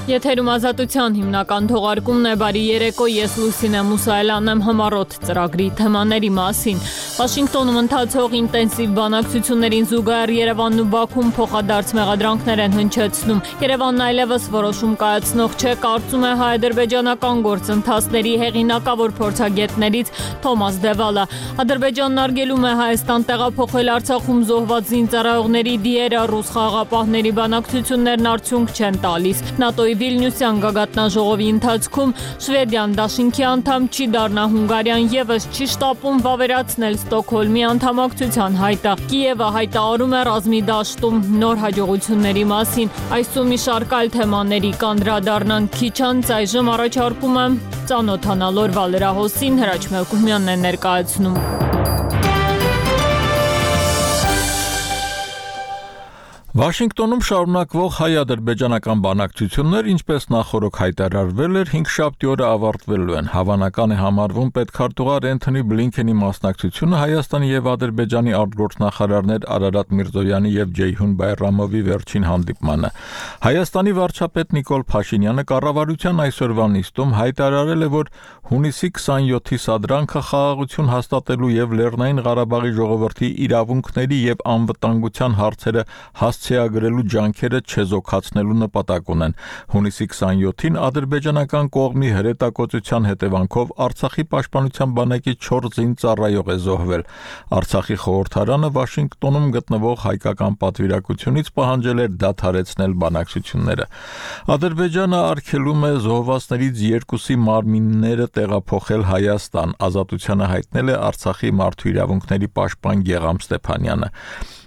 Եթերում ազատության հիմնական թողարկումն է, բարի երեկո, ես Լուսինե Մուսայելյանն եմ համառոտ ծրագրի թեմաների մասին։ Վաշինգտոնում ընթացող ինտենսիվ բանակցություններին զուգահեռ Երևանն ու Բաքուն փոխադարձ մեղադրանքներ են հնչեցնում։ Երևանն այլևս որոշում կայացնող չէ, կարծում է հայ-ադրբեջանական գործընթացների հեղինակավոր փորձագետներից Թոմաս Դևալը։ Ադրբեջանն արգելում է Հայաստան տեղափոխել Արցախում զոհված զինծառայողների դիերը, ռուս խաղաղապահների բանակցություններն արդյունք չեն տալիս։ ՆԱՏՕ-ի Վիլնյուսյան գագաթնաժողովի ընթացքում Շվեդիան դաշինքի անդամ չի դառնա, Հունգարիան եւս չի շտապում վավերացնել Ստոկհոլմի անդամակցության հայտը։ Կիևը հայտարարում է ռազմի դաշտում նոր հաջողությունների մասին։ Այսօր մի շարք այլ թեմաների կանդրադառնանք քիչ անց, այժմ առաջարկում եմ ծանոթանալ օրվա լրահոսին, Հրաչ Մելքումյանն է ներկայացնում։ Վաշինգտոնում շարունակվող հայ-ադրբեջանական բանակցություններ, ինչպես նախօրոք հայտարարվել էր, հինգշաբթի օրը ավարտվելու են։ Հավանական է համարվում պետքարտուղար Էնթոնի Բլինքենի մասնակցությունը Հայաստանի եւ Ադրբեջանի արտգործնախարարներ Արարատ Միրզոյանի եւ Ջեյհուն Բայրամովի վերջին հանդիպմանը։ Հայաստանի վարչապետ Նիկոլ Փաշինյանը կառավարության այսօրվա նիստում հայտարարել է, որ հունիսի 27-ի սադրանքը խաղաղություն հաստատելու եւ Լեռնային Ղարաբաղի ժողովրդի իրավունքների եւ անվտանգության հարցերը հասցեագրելու ջանքերը չեզոքացնելու նպատակ ունեն։ Հունիսի 27-ին ադրբեջանական կողմի հրետակոծության հետևանքով Արցախի պաշտպանության բանակի 4 զինծառայող է զոհվել։ Արցախի խորհրդարանը Վաշինգտոնում գտնվող հայկական պատվիրակությունից պահանջել էր դադարեցնել բանակցությունները։ Ադրբեջանը արգելում է զոհվածներից 2-ի մարմինները տեղափոխել Հայաստան, ազատությանը հայտնել է Արցախի մարդու իրավունքների պաշտպան Գեգամ Ստեփանյանը։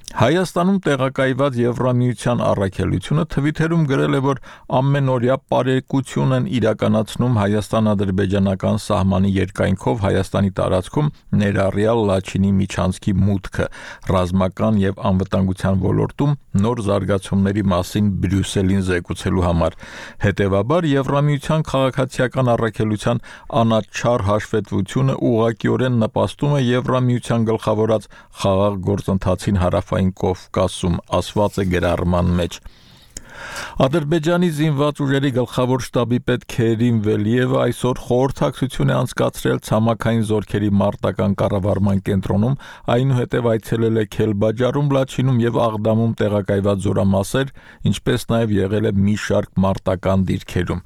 Հայաստանում տեղակայված Եվրամիության առաքելությունը Թվիթերում գրել է, որ ամենօրյա պարեկություն են իրականացնում հայաստան-ադրբեջանական սահմանի երկայնքով Հայաստանի տարածքում ներառյալ Լաչինի միջանցքի մուտքը, ռազմական եւ անվտանգության ոլորտում նոր զարգացումների մասին Բրյուսելին զեկուցելու համար։ Հետևաբար Եվրամիության քաղաքացիական առաքելության անաչառ հաշվետվությունը ուղղակիորեն նպաստում է Եվրամիության գլխավորած խաղաղ գործընթացին հարավային Կովկասում, ասված է գրառման մեջ։ Ադրբեջանի զինված ուժերի գլխավոր շտաբի պետ Քերիմ Վելիևը այսօր խորհրդակցություն է անցկացրել ցամաքային զորքերի մարտական կառավարման կենտրոնում, այնուհետև այցելել է Քելբաջարում, Լաչինում եւ Աղդամում տեղակայված զորամասեր, ինչպես նաեւ եղել է մի շարք մարտական դիրքերում։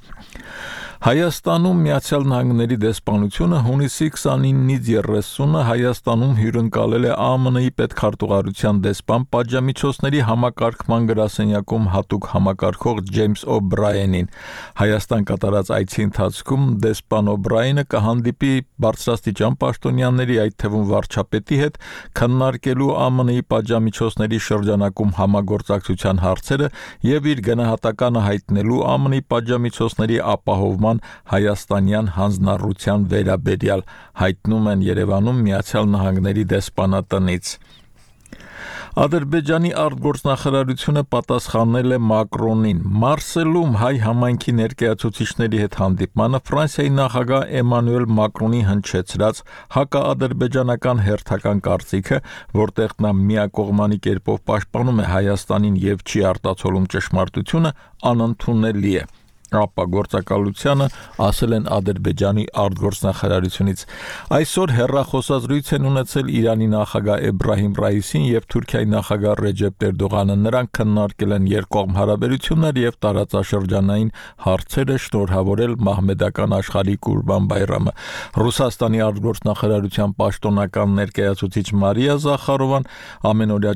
Հայաստանում Միացյալ Նահանգների դեսպանությունը հունիսի 29-ից 30-ը Հայաստանում հյուրընկալել է ԱՄՆ-ի պետքարտուղարության դեսպան պատժամիջոցների համակարգման գրասենյակում հատուկ համակարգող Ջեյմս Օ'Բրայանին։ Հայաստան կատարած այցի ընթացքում դեսպան Օ'Բրայանը կհանդիպի բարձրաստիճան պաշտոնյաների, այդ թվում վարչապետի հետ, քննարկելու ԱՄՆ-ի պատժամիջոցների շրջանակում համագործակցության հարցերը եւ իր գնահատականը հայտնելու ԱՄՆ-ի պատժամիջոցների ապահովման հայաստանյան հանձնառության վերաբերյալ, հայտնում են Երևանում Միացյալ Նահանգների դեսպանատնից։ Ադրբեջանի արտգործնախարարությունը պատասխանել է Մակրոնին։ Մարսելում հայ համայնքի ներկայացուցիչների հետ հանդիպմանը Ֆրանսիայի նախագահ Էմանուել Մակրոնի հնչեցրած հակաադրբեջանական հերթական կարծիքը, որտեղ նա միակողմանի կերպով պաշտպանում է Հայաստանին եւ չի արտացոլում ճշմարտությունը, անընդունելի է։ Ապա գործակալությանը ասել են Ադրբեջանի արտգործնախարարությունից։ Այսօր հեռախոսազրույց են ունեցել Իրանի նախագահ Էբրահիմ Ռայիսին եւ Թուրքիայի նախագահ Ռեջեփ Էրդողանը։ Նրանք քննարկել են երկկողմ հարաբերություններ եւ տարածաշրջանային հարցերը, շնորհավորել մահմեդական աշխարհի Կուրբան Բայրամը։ Ռուսաստանի արտգործնախարարության պաշտոնական ներկայացուցիչ Մարիա Զախարովան ամենօրյա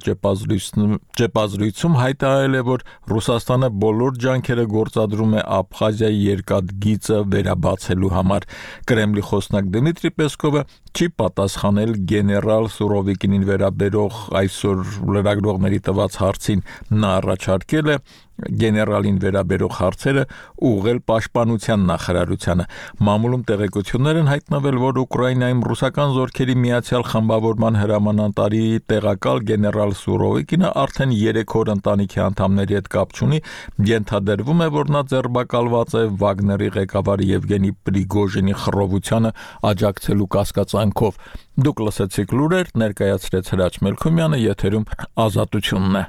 ճեպազրույցում հայտարարել է, որ Ռուսաստանը բոլոր ջանքերը գործադրում է Աբխազիայի երկաթգիծը վերաբացելու համար։ Կրեմլի խոսնակ Դմիտրի Պեսկովը չի պատասխանել գեներալ Սուրովիկինին վերաբերող այսօր լրագրողների տված հարցին։ Նա առաջարկել է գեներալին վերաբերող հարցերը ուղղել պաշտպանության նախարարությանը։ Մամուլում տեղեկություններ են հայտնվել, որ Ուկրաինայում ռուսական զորքերի միացյալ խմբավորման հրամանատարի տեղակալ գեներալ Սուրովիկինը արդեն 3 օր ընտանիքի անդամների հետ կապ չունի։ Ենթադրվում է, որ նա ձերբակալված է Վագների ղեկավար Եվգենի Պրիգոժինի խռովությանը աջակցելու կասկածանքով։ Դուք լսեցիք լուրեր, ներկայացրեց Հրաչ Մելքումյանը, եթերում Ազատությունն է։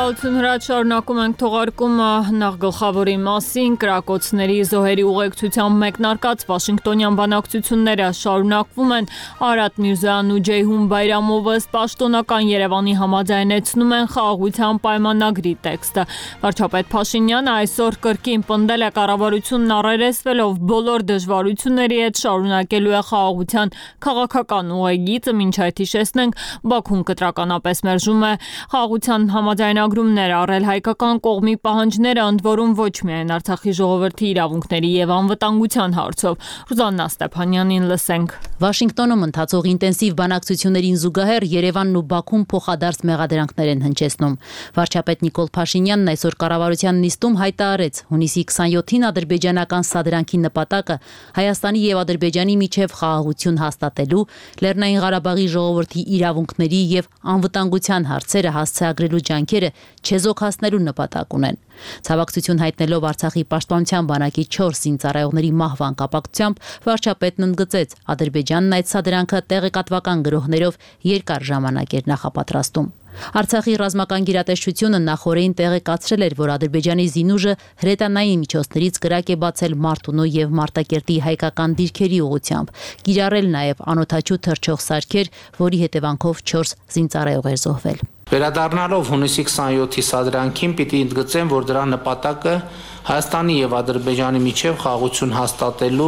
Շնորհակալություն Հրաչ, շարունակում ենք թողարկումը նախ գլխավորի մասին։ Կրակոցների զոհերի ուղեկցությամբ մեկնարկած Վաշինգտոնյան բանակցությունները շարունակվում են։ Արարատ Միրզոյանն ու Ջեյհուն Բայրամովը պաշտոնական Երևանի համաձայնեցնում են խաղաղության պայմանագրի տեքստը։ Վարչապետ Փաշինյանը այսօր կրկին պնդել է կառավարությունն առերեսվելով բոլոր դժվարությունների հետ շարունակելու է խաղաղության քաղաքական ուղեգիծը, մինչ այդ հիշեցնենք, Բաքուն կտրականապես մերժում է խաղաղության համաձայնագրումներ առել հայկական կողմի պահանջները, ընդ որում ոչ միայն Արցախի ժողովրդի իրավունքների եւ անվտանգության հարցով։ Ռուզաննա Ստեփանյանին լսենք։ Վաշինգտոնում ընթացող ինտենսիվ բանակցություններին զուգահեռ Երևանն ու Բաքուն փոխադարձ մեղադրանքներ են հնչեցնում։ Վարչապետ Նիկոլ Փաշինյանն այսօր կառավարության նիստում հայտարարեց, հունիսի 27-ին ադրբեջանական սադրանքի նպատակը Հայաստանի եւ Ադրբեջանի միջև խաղաղություն հաստատելու, Լեռնային Ղարաբաղի ժողովրդի իրավունքների եւ անվտանգության հարցերը հասցեագրելու ջանքերը չեզոքացնելու նպատակ ունեն։ Ցավակցություն հայտնելով Արցախի պաշտպանության բանակի 4 զինծառայողների մահվան կապակցությամբ վարչապետն ընդգծեց, Ադրբեջանն այդ սադրանքը տեղեկատվական գրոհներով երկար ժամանակ էր նախապատրաստում։ Արցախի ռազմական գերատեսչությունը նախորդին տեղեկացրել էր, որ Ադրբեջանի զինուժը հրետանային միջոցներից կրակ է բացել Մարտունու եւ Մարտակերտի հայկական դիրքերի ուղղությամբ, կիրառել նաեւ անօդաչու թռչող սարքեր, որի հետևանքով 4 զինծառայող էր զոհվել։ Վերադառնալով հունիսի 27-ի սադրանքին պիտի ընդգծեմ, որ դրա նպատակը Հայաստանի եւ Ադրբեջանի միջև խաղաղություն հաստատելու,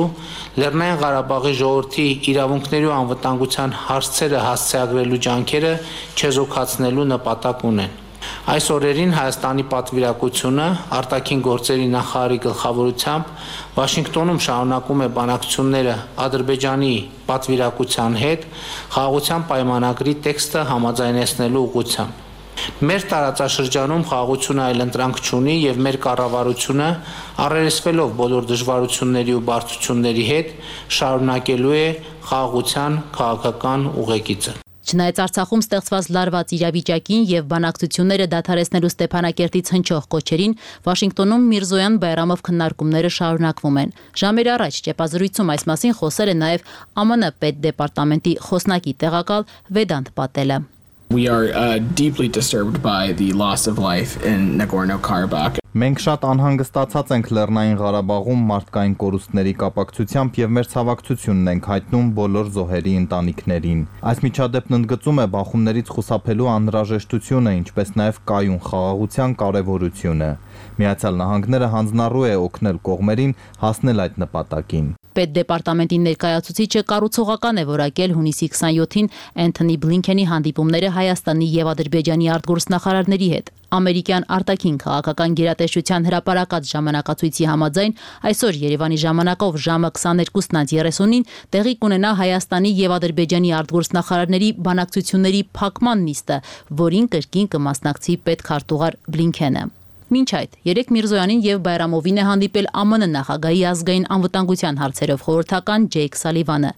Լեռնային Ղարաբաղի ժողովրդի իրավունքների ու անվտանգության հարցերը հասցեագրելու ջանքերը չեզոքացնելու նպատակ ունեն։ Այս օրերին Հայաստանի պատվիրակությունը արտաքին գործերի նախարարի գլխավորությամբ Վաշինգտոնում շարունակում է բանակցությունները Ադրբեջանի պատվիրակության հետ խաղաղության պայմանագրի տեքստը համաձայնեցնելու ուղղությամբ։ Մեր տարածաշրջանում խաղաղությունը այլընտրանք չունի եւ մեր կառավարությունը առերեսվելով բոլոր դժվարությունների ու բարդությունների հետ շարունակելու է խաղաղության քաղաքական ուղեգիծը։ Չնայած Արցախում ստեղծված լարված իրավիճակին եւ բանակցությունները դադարեցնելու Ստեփանակերտից հնչող կոչերին, Վաշինգտոնում Միրզոյան Բայրամով քննարկումները շարունակվում են։ Ժամեր առաջ ճեպազրույցում այս մասին խոսել է նաեւ ԱՄՆ պետդեպարտամենտի խոսնակի տեղակալ Վեդանտ Պատելը։ We are deeply disturbed by the loss of life in Nagorno-Karabakh. Մենք շատ անհանգստացած ենք Լեռնային Ղարաբաղում մարդկային կորուստների կապակցությամբ եւ մեր ցավակցությունն ենք հայտնում բոլոր զոհերի ընտանիքներին։ Այս միջադեպն ընդգծում է բախումներից խուսափելու անհրաժեշտությունը, ինչպես նաեւ կայուն խաղաղության կարեւորությունը։ Միացյալ Նահանգները հանձնառու է օգնել կողմերին հասնել այդ նպատակին։ Պետդեպարտամենտի ներկայացուցիչը կառուցողական է որակել հունիսի 27-ին Էնթոնի Բլինքենի հանդիպումները Հայաստանի եւ Ադրբեջանի արտգործնախարարների հետ։ Ամերիկյան արտաքին քաղաքական գերատեսչության հրապարակած ժամանակացույցի համաձայն այսօր Երևանի ժամանակով ժամը 22:30-ին տեղի կունենա Հայաստանի եւ Ադրբեջանի արտգործնախարարների բանակցությունների փակման նիստը, որին կրկին կմասնակցի պետքարտուղար Բլինքենը։ Մինչ այդ, երեք Միրզոյանին եւ Բայրամովին է հանդիպել ԱՄՆ նախագահի ազգային անվտանգության հարցերով խորհրդական Ջեյք Սալիվանը,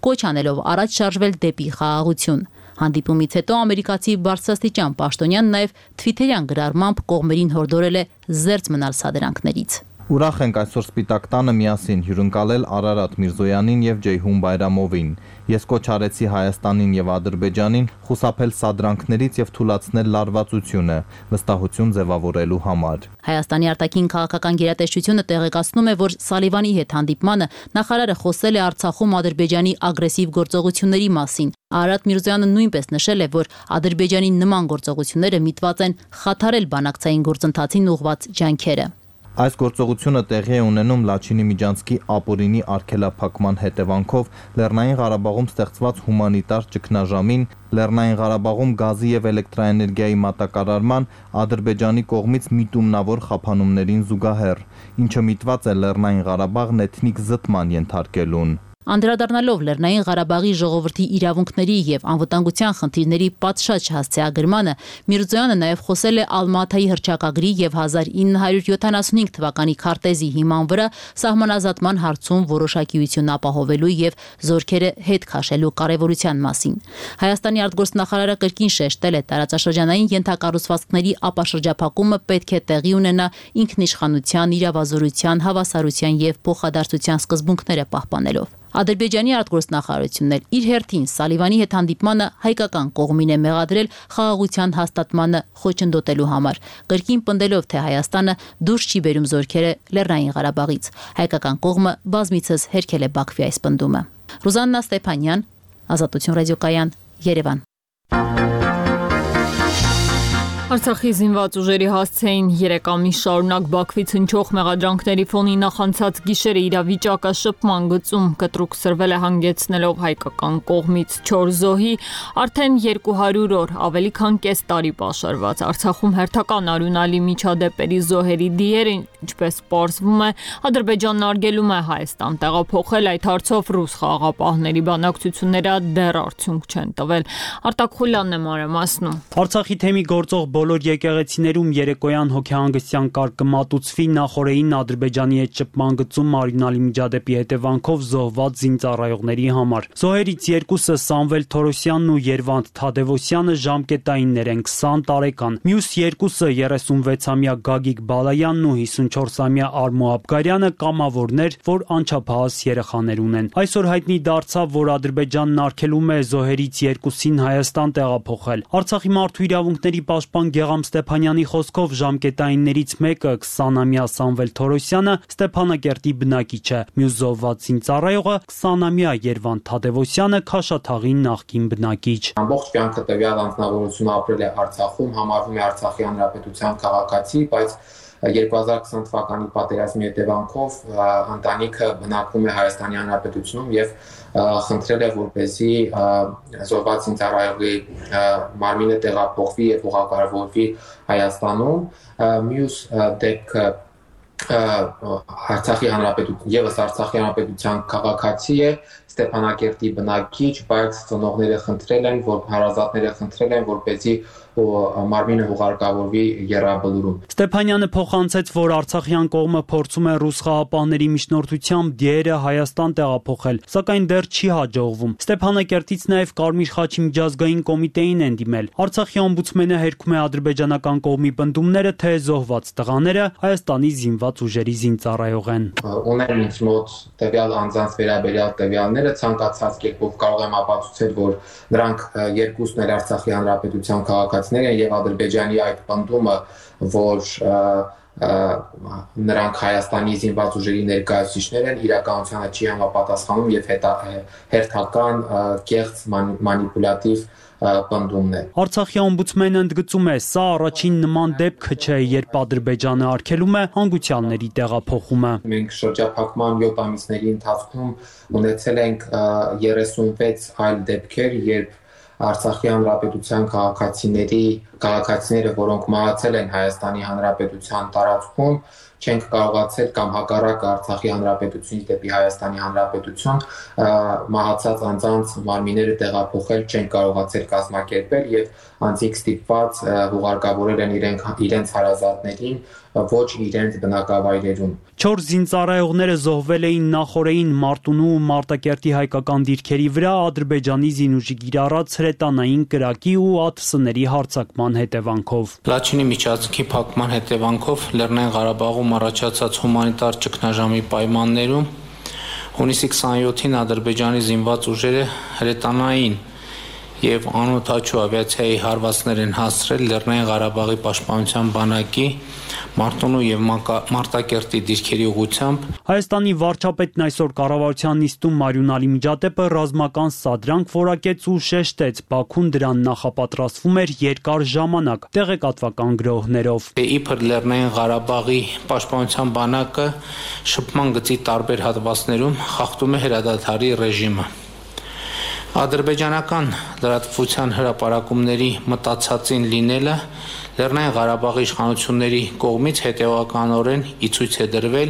կոչ անելով առաջ շարժվել դեպի խաղաղություն։ Հանդիպումից հետո ամերիկացի բարձրաստիճան պաշտոնյան նաեւ թվիթերյան գրառմամբ կողմերին հորդորել է զերծ մնալ սադրանքներից։ Ուրախ ենք այսօր Սպիտակ տանը միասին հյուրընկալել Արարատ Միրզոյանին եւ Ջեյհուն Բայրամովին։ Ես կոչ արեցի Հայաստանին եւ Ադրբեջանին խուսափել սադրանքներից եւ թույլատրել լարվածությունը, վստահություն ձևավորելու համար։ Հայաստանի արտաքին քաղաքական գերատեսչությունը տեղեկացնում է, որ Սալիվանի հետ հանդիպմանը նախարարը խոսել է Արցախում Ադրբեջանի ագրեսիվ գործողությունների մասին։ Արարատ Միրզոյանը նույնպես նշել է, որ Ադրբեջանի նման գործողությունները միտված են խաթարել բանակցային գործընթացին ուղղված ջանքերը։ Այս գործողությունը տեղի է ունենում Լաչինի Միջանցքի ապօրինի արգելափակման հետևանքով Լեռնային Ղարաբաղում ստեղծված հումանիտար ճգնաժամին, Լեռնային Ղարաբաղում գազի եւ էլեկտրաէներգիայի մատակարարման Ադրբեջանի կողմից միտումնավոր խափանումներին զուգահեռ, ինչը միտված է Լեռնային Ղարաբաղն էթնիկ զտման ենթարկելուն։ Անդրադառնալով Լեռնային Ղարաբաղի ժողովրդի իրավունքների եւ անվտանգության խնդիրների պատշաճ հասցեագրմանը, Միրզոյանը նաեւ խոսել է Ալմաթայի հռչակագրի եւ 1975 թվականի քարտեզի հիման վրա սահմանազատման հարցում որոշակիություն ապահովելու եւ զորքերը հետ քաշելու կարեւորության մասին։ Հայաստանի արտգործնախարարը կրկին շեշտել է տարածաշրջանային ենթակառուցվածքների ապաշրջափակումը պետք է տեղի ունենա ինքնիշխանության, իրավազորության, հավասարության եւ փոխադարձության սկզբունքները պահպանելով։ Ադրբեջանի արտգործնախարարությունն էլ իր հերթին Սալիվանի հետ հանդիպմանը հայկական կողմին է մեղադրել խաղաղության հաստատմանը խոչընդոտելու համար, կրկին պնդելով, թե Հայաստանը դուրս չի բերում զորքերը Լեռնային Ղարաբաղից։ Հայկական կողմը բազմիցս հերքել է Բաքվի այս պնդումը։ Ռուզաննա Ստեփանյան, Ազատություն ռադիոկայան, Երևան։ Արցախի զինված ուժերի հասցեին 3 ամիս շարունակ Բաքվից հնչող մեղադրանքների ֆոնին նախանցած գիշերը իրավիճակը շփման գծում կտրուկ սրվել է հանգեցնելով հայկական կողմից 4 զոհի արդեն 200 օր ավելի քան կես տարի պաշարված Արցախում հերթական արյունալի միջադեպերի զոհերի դիերը, ինչպես պարզվում է, Ադրբեջանն արգելում է Հայաստան տեղափոխել այդ հարցով ռուս խաղաղապահների բանակցությունները դեռ արդյունք չեն տվել։ Արտակ Խուլյանն է մանրամասնում։ Արցախի թեմի գործող բոլոր եկեղեցիներում երեկոյան հոգեհանգստյան կարգ կմատուցվի նախորդին Ադրբեջանի հետ շփման գծում արյունալի միջադեպի հետևանքով զոհված զինծառայողների համար։ Զոհերից երկուսը Սամվել Թորոսյանն ու Երվանդ Թադևոսյանը ժամկետայիններ են 20 տարեկան։ Մյուս երկուսը 36-ամյա Գագիկ Բալայանն ու 54-ամյա Արմո Աբգարյանը կամավորներ, որ անչափահաս երեխաներ ունեն։ Այսօր հայտնի դարձավ, որ Ադրբեջանն արգելում է զոհերից երկուսին Հայաստան տեղափոխել։ Արցախի մարդու իրավունքների պաշտպան Գեգամ Ստեփանյանի խոսքով ժամկետայիններից մեկը 20-ամյա Սամվել Թորոսյանը Ստեփանակերտի բնակիչ է, մյուս զոհված զինծառայողը 20-ամյա Երվանդ Թադևոսյանը Քաշաթաղի նախկին բնակիչ։ Ամբողջ կյանքը տվյալ անձնավորությունը ապրել է Արցախում, համարվում է Արցախի հանրապետության քաղաքացի, բայց 2020 թվականի պատերազմի հետևանքով ընտանիքը բնակվում է Հայաստանի Հանրապետությունում եւ խնդրել է, որպեսզի զոհված զինծառայողի մարմինը տեղափոխվի եւ ուղղակառավարվի Հայաստանում։ Մյուս դեպքը Արցախի Հանրապետության քաղաքացի է, Ստեփանակերտի բնակիչ, բայց ծնողները խնդրել են, որ հարազատները խնդրել են, որպեսզի մարմինը ուղարկավորվի Եռաբլուրում։ Ստեփանյանը փոխանցեց, որ արցախյան կողմը փորձում է ռուս խաղապահների միջնորդությամբ դիերը Հայաստան տեղափոխել, սակայն դեռ չի հաջողվում։ Ստեփանակերտից նաև Կարմիր խաչի միջազգային կոմիտեին են դիմել։ Արցախի օմբուդսմենը հերքում է ադրբեջանական կողմի պնդումները, թե զոհված տղաները Հայաստանի զինված ուժերի զինծառայող են։ Ունեն ինձ մոտ տվյալ անձանց վերաբերյալ տվյալները, ցանկացած կերպով կարող եմ ապացուցել, որ նրանք երկուսն էլ Արցախի Հանրապետության քաղաքացիներ են եւ Ադրբեջանի այդ պնդումը, որ նրանք Հայաստանի զինված ուժերի ներկայացուցիչներ են, իրականությանը չի համապատասխանում եւ հերթական կեղծ մանիպուլատիվ պնդումն է։ Արցախի օմբուդսմենը ընդգծում է, սա առաջին նման դեպքը չէ, երբ Ադրբեջանը արգելում է հանգուցյալների տեղափոխումը։ Մենք շրջափակման 7 ամիսների ընթացքում ունեցել ենք 36 այլ դեպքեր, երբ Արցախի Հանրապետության քաղաքացիները, որոնք մահացել են Հայաստանի Հանրապետության տարածքում, չենք կարողացել կամ հակառակ Արցախի Հանրապետությունից դեպի Հայաստանի Հանրապետություն մահացած անձանց մարմինները տեղափոխել չենք կարողացել կազմակերպել եւ անձիկ ստիպված ուղարկավորել են իրենց հարազատներին, ոչ իրենց բնակավայրերում։ 4 զինծառայողները զոհվել էին նախորդին Մարտունու ու Մարտակերտի հայկական դիրքերի վրա Ադրբեջանի զինուժի կիրառած հրետանային կրակի ու ԱԹՍ-ների հարձակման հետևանքով։ Լաչինի միջանցքի փակման հետևանքով Լեռնային Ղարաբաղում առաջացած հումանիտար ճգնաժամի պայմաններում հունիսի 27-ին Ադրբեջանի զինված ուժերը հրետանային եւ անօդաչու ավիացիայի հարվածներ են հասցրել Լեռնային Ղարաբաղի պաշտպանության բանակի Մարտունու եւ Մարտակերտի դիրքերի ուղղությամբ։ Հայաստանի վարչապետն այսօր կառավարության նիստում արյունալի միջադեպը ռազմական սադրանք որակեց ու շեշտեց, Բաքուն դրան նախապատրաստվում էր երկար ժամանակ տեղեկատվական գրոհներով։ Իբր Լեռնային Ղարաբաղի պաշտպանության բանակը շփման գծի տարբեր հատվածներում խախտում է հրադադարի ռեժիմը։ Ադրբեջանական լրատվության հրապարակումների մտածածին լինելը Լեռնային Ղարաբաղի իշխանությունների կողմից հետևականորեն ի ցույց է դրվել,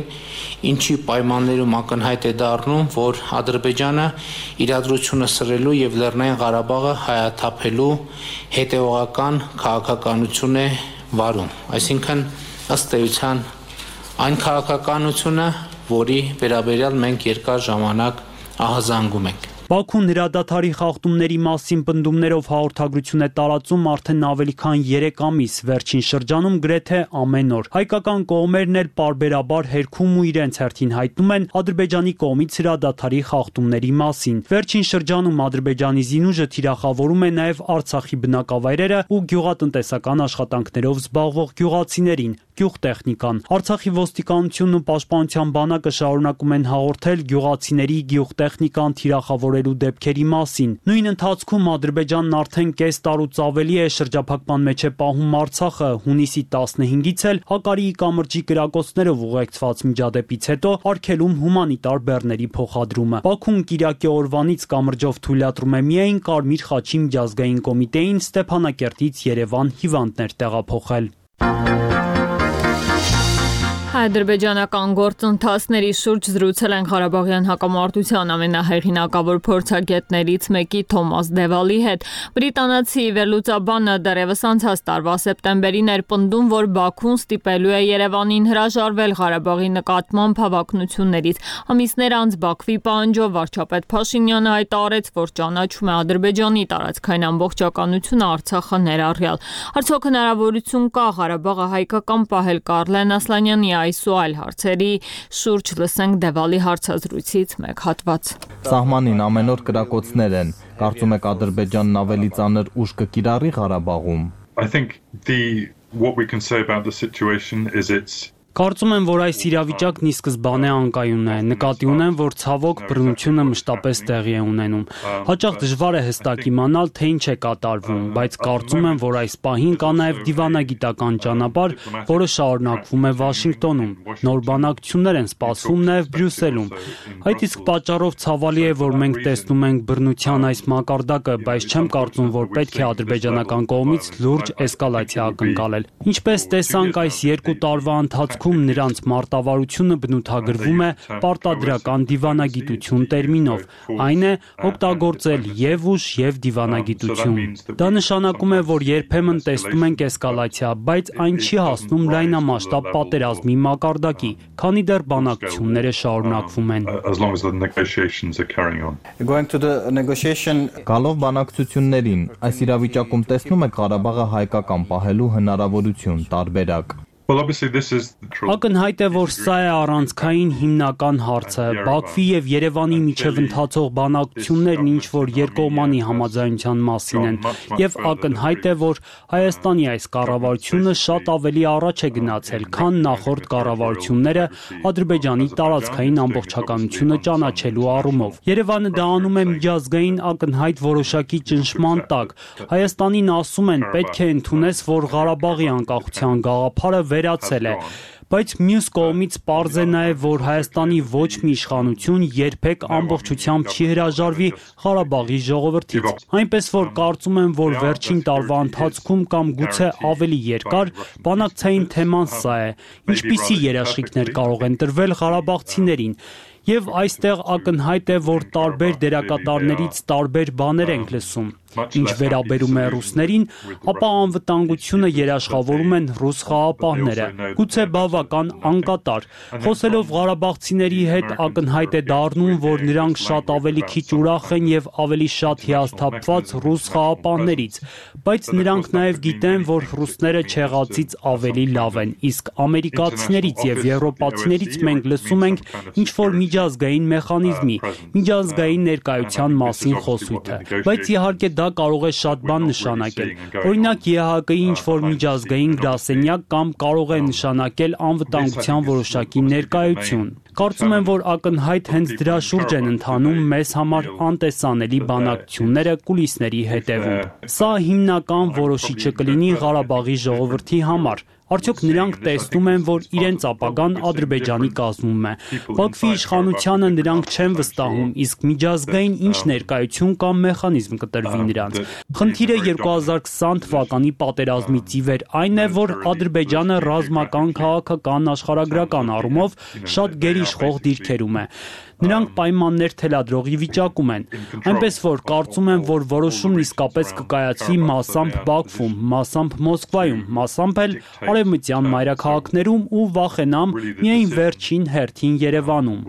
ինչի պայմաններում ակնհայտ է դառնում, որ Ադրբեջանը իրադրությունը սրելու եւ Լեռնային Ղարաբաղը հայաթափելու հետևողական քաղաքականություն է վարում, այսինքն ըստ էության այն քաղաքականությունը, որի վերաբերյալ մենք երկար ժամանակ ահազանգում ենք։ Բաքուն հրադադարի խախտումների մասին պնդումներով հաղորդագրություն է տարածում արդեն ավելի քան 3 ամիս, վերջին շրջանում գրեթե ամեն օր։ Հայկական կողմերն էլ պարբերաբար հերքում ու իրենց հերթին հայտնում են Ադրբեջանի կողմից հրադադարի խախտումների մասին։ Վերջին շրջանում Ադրբեջանի զինուժը թիրախավորում է նաև Արցախի բնակավայրերը ու գյուղատնտեսական աշխատանքներով զբաղվող գյուղացիներին, գյուղտեխնիկան։ Արցախի ոստիկանությունն ու պաշտպանության բանակը շարունակում են հաղորդել գյուղացիների գյուղտեխնիկան թիրախավորելու դեպքերի մասին։ Նույն ընթացքում Ադրբեջանն արդեն կես տարուց ավելի է շրջափակման մեջ է պահում Արցախը, հունիսի 15-ից էլ Հակարիի կամրջի կրակոցներով ուղեկցված միջադեպից հետո արգելում հումանիտար բեռների փոխադրումը։ Բաքուն Կիրակի օրվանից կամրջով թույլատրում է միայն Կարմիր խաչի միջազգային կոմիտեին Ստեփանակերտից Երևան հիվանդներ տեղափոխել։ Ադրբեջանական գործընթացների շուրջ զրուցել են Ղարաբաղյան հակամարտության ամենահեղինակավոր փորձագետներից մեկի Թոմաս Դևալի հետ։ Բրիտանացի վերլուծաբանը դեռևս անցած տարվա սեպտեմբերին էր պնդում, որ Բաքուն ստիպելու է Երևանին հրաժարվել Ղարաբաղի նկատմամբ հավակնություններից։ Ամիսներ անց Բաքվի պահանջով վարչապետ Փաշինյանը հայտարարեց, որ ճանաչում է Ադրբեջանի տարածքային ամբողջականությունը Արցախը ներառյալ։ Արդյոք հնարավորություն կա Ղարաբաղը հայկական պահել Կարլեն Ասլանյանի այս ու այլ հարցերի շուրջ լսենք Դևալի հարցազրույցից մեկ հատված։ Սահմանին ամեն օր կրակոցներ են։ Կարծում եք Ադրբեջանն ավելի ծանր ուժ կկիրառի Ղարաբաղում։ Կարծում եմ, որ այս իրավիճակն ի սկզբանե անկայուն է։ Նկատի ունեմ, որ ցավոք բռնությունը մշտապես տեղի է ունենում։ Հաճախ դժվար է հստակ իմանալ, թե ինչ է կատարվում, բայց կարծում եմ, որ այս պահին կա նաև դիվանագիտական ճանապարհ, որը շարունակվում է Վաշինգտոնում։ Նոր բանակցություններ են սպասվում նաև Բրյուսելում։ Այդ իսկ պատճառով ցավալի է, որ մենք տեսնում ենք բռնության այս մակարդակը, բայց չեմ կարծում, որ պետք է ադրբեջանական կողմից լուրջ էսկալացիա ակնկալել։ Ինչպես տեսանք այս 2 տարվա ընթացքում նրանց մարտավարությունը բնութագրվում է պարտադրական դիվանագիտություն տերմինով, այն է օգտագործել եւ ուժ եւ դիվանագիտություն։ Դա նշանակում է, որ երբեմն տեսնում ենք էսկալացիա, բայց այն չի հասնում լայնամասշտաբ պատերազմի մակարդակի, քանի դեռ բանակցությունները շարունակվում են։ Գալով բանակցություններին, այս իրավիճակում տեսնում եք Ղարաբաղը հայկական պահելու հնարավորություն տարբերակ։ Ակնհայտ է, որ սա է առանցքային հիմնական հարցը։ Բաքվի եւ Երևանի միջև ընթացող բանակցություններն ինչ որ երկկողմանի համաձայնության մասին են, եւ ակնհայտ է, որ Հայաստանի այս կառավարությունը շատ ավելի առաջ է գնացել, քան նախորդ կառավարությունները Ադրբեջանի տարածքային ամբողջականությունը ճանաչելու առումով։ Երևանը դա անում է միջազգային ակնհայտ որոշակի ճնշման տակ։ Հայաստանին ասում են, պետք է ընդունես, որ Ղարաբաղի անկախության գաղափարը վերացել է, բայց մյուս կողմից պարզ է նաև, որ Հայաստանի ոչ մի իշխանություն երբեք ամբողջությամբ չի հրաժարվի Ղարաբաղի ժողովրդից։ Այնպես որ կարծում եմ, որ վերջին տարվա ընթացքում կամ գուցե ավելի երկար բանակցային թեման սա է, ինչպիսի երաշխիքներ կարող են տրվել ղարաբաղցիներին։ Եվ այստեղ ակնհայտ է, որ տարբեր դերակատարներից տարբեր բաներ ենք լսում։ Ինչ վերաբերում է ռուսներին, ապա անվտանգությունը երաշխավորում են ռուս խաղապահները, գուցե բավական անկատար։ Խոսելով ղարաբաղցիների հետ ակնհայտ է դառնում, որ նրանք շատ ավելի քիչ ուրախ են եւ ավելի շատ հիասթափված ռուս խաղապահներից, բայց նրանք նաեւ գիտեն, որ ռուսները չեղածից ավելի լավ են, իսկ ամերիկացիներից եւ եվրոպացիներից մենք լսում ենք ինչ որ միջազգային մեխանիզմի, միջազգային ներկայության մասին խոսույթը, բայց իհարկե դա կարող է շատ բան նշանակել։ Օրինակ ԵՀԿ-ի ինչ-որ միջազգային գրասենյակ կամ կարող է նշանակել անվտանգության որոշակի ներկայություն։ Կարծում եմ, որ ակնհայտ հենց դրա շուրջ են ընթանում մեզ համար անտեսանելի բանակցությունները կուլիսների հետևում։ Սա հիմնական որոշիչը կլինի Ղարաբաղի ժողովրդի համար։ Արդյոք նրանք տեսնում են, որ իրենց ապագան Ադրբեջանի կազմում է։ Բաքվի իշխանությանը նրանք չեն վստահում, իսկ միջազգային ինչ ներկայություն կամ մեխանիզմ կտրվի նրանց։ Խնդիրը 2020 թվականի պատերազմից ի վեր այն է, որ Ադրբեջանը ռազմական, քաղաքական, աշխարհագրական առումով շատ գերիշխող դիրքերում է։ Նրանք պայմաններ թելադրողի վիճակում են, այնպես որ կարծում եմ, որ որոշումն իսկապես կկայացվի մասամբ Բաքվում, մասամբ Մոսկվայում, մասամբ էլ արևմտյան մայրաքաղաքներում ու վախենամ միայն վերջին հերթին Երևանում։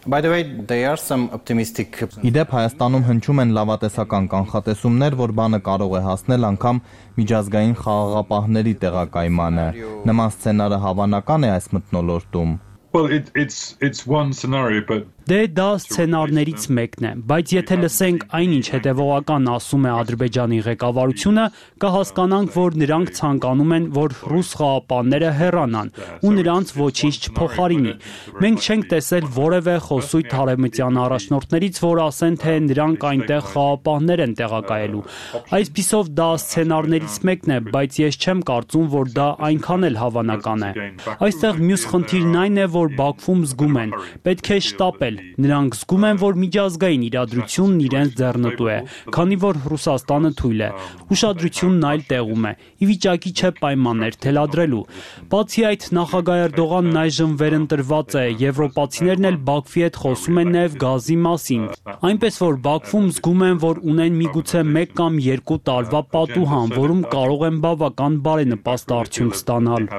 By the way, there are some optimistic. Իդեպ Հայաստանում հնչում են լավատեսական կանխատեսումներ, որ բանը կարող է հասնել անգամ միջազգային խաղաղապահների տեղակայմանը։ Նման սցենարը հավանական է այս մթնոլորտում։ Well, it's one scenario, but Դե դա սցենարներից մեկն է, բայց եթե լսենք այնինչ հետևողական ասում է Ադրբեջանի ղեկավարությունը, կհասկանանք, որ նրանք ցանկանում են, որ ռուս խաղապանները հեռանան ու նրանց ոչինչ չփոխարինի։ Մենք չենք տեսել որևէ խոսույթ արևմտյան առաջնորդներից, որ ասեն, թե նրանք այնտեղ խաղապաններ են տեղակայելու։ Այսպիսով դա սցենարներից մեկն է, բայց ես չեմ կարծում, որ դա այնքան էլ հավանական է։ Այստեղ մյուս խնդիրն այն է, որ Բաքվում զգում են, պետք է շտապել։ Նրանք զգում են, որ միջազգային իրադրությունն իրենց ձեռնտու է, քանի որ Ռուսաստանը թույլ է։ Ուշադրությունն այլ տեղում է, ի վիճակի չէ պայմաններ թելադրելու։ Բացի այդ, նախագահ Էրդողանն այժմ վերընտրված է, եվրոպացիներն էլ Բաքվի հետ խոսում են նաև գազի մասին։ Այնպես որ Բաքվում զգում են, որ ունեն միգուցե 1 կամ 2 տարվա պատուհան, որում կարող են բավական բարենպաստ արդյունք ստանալ։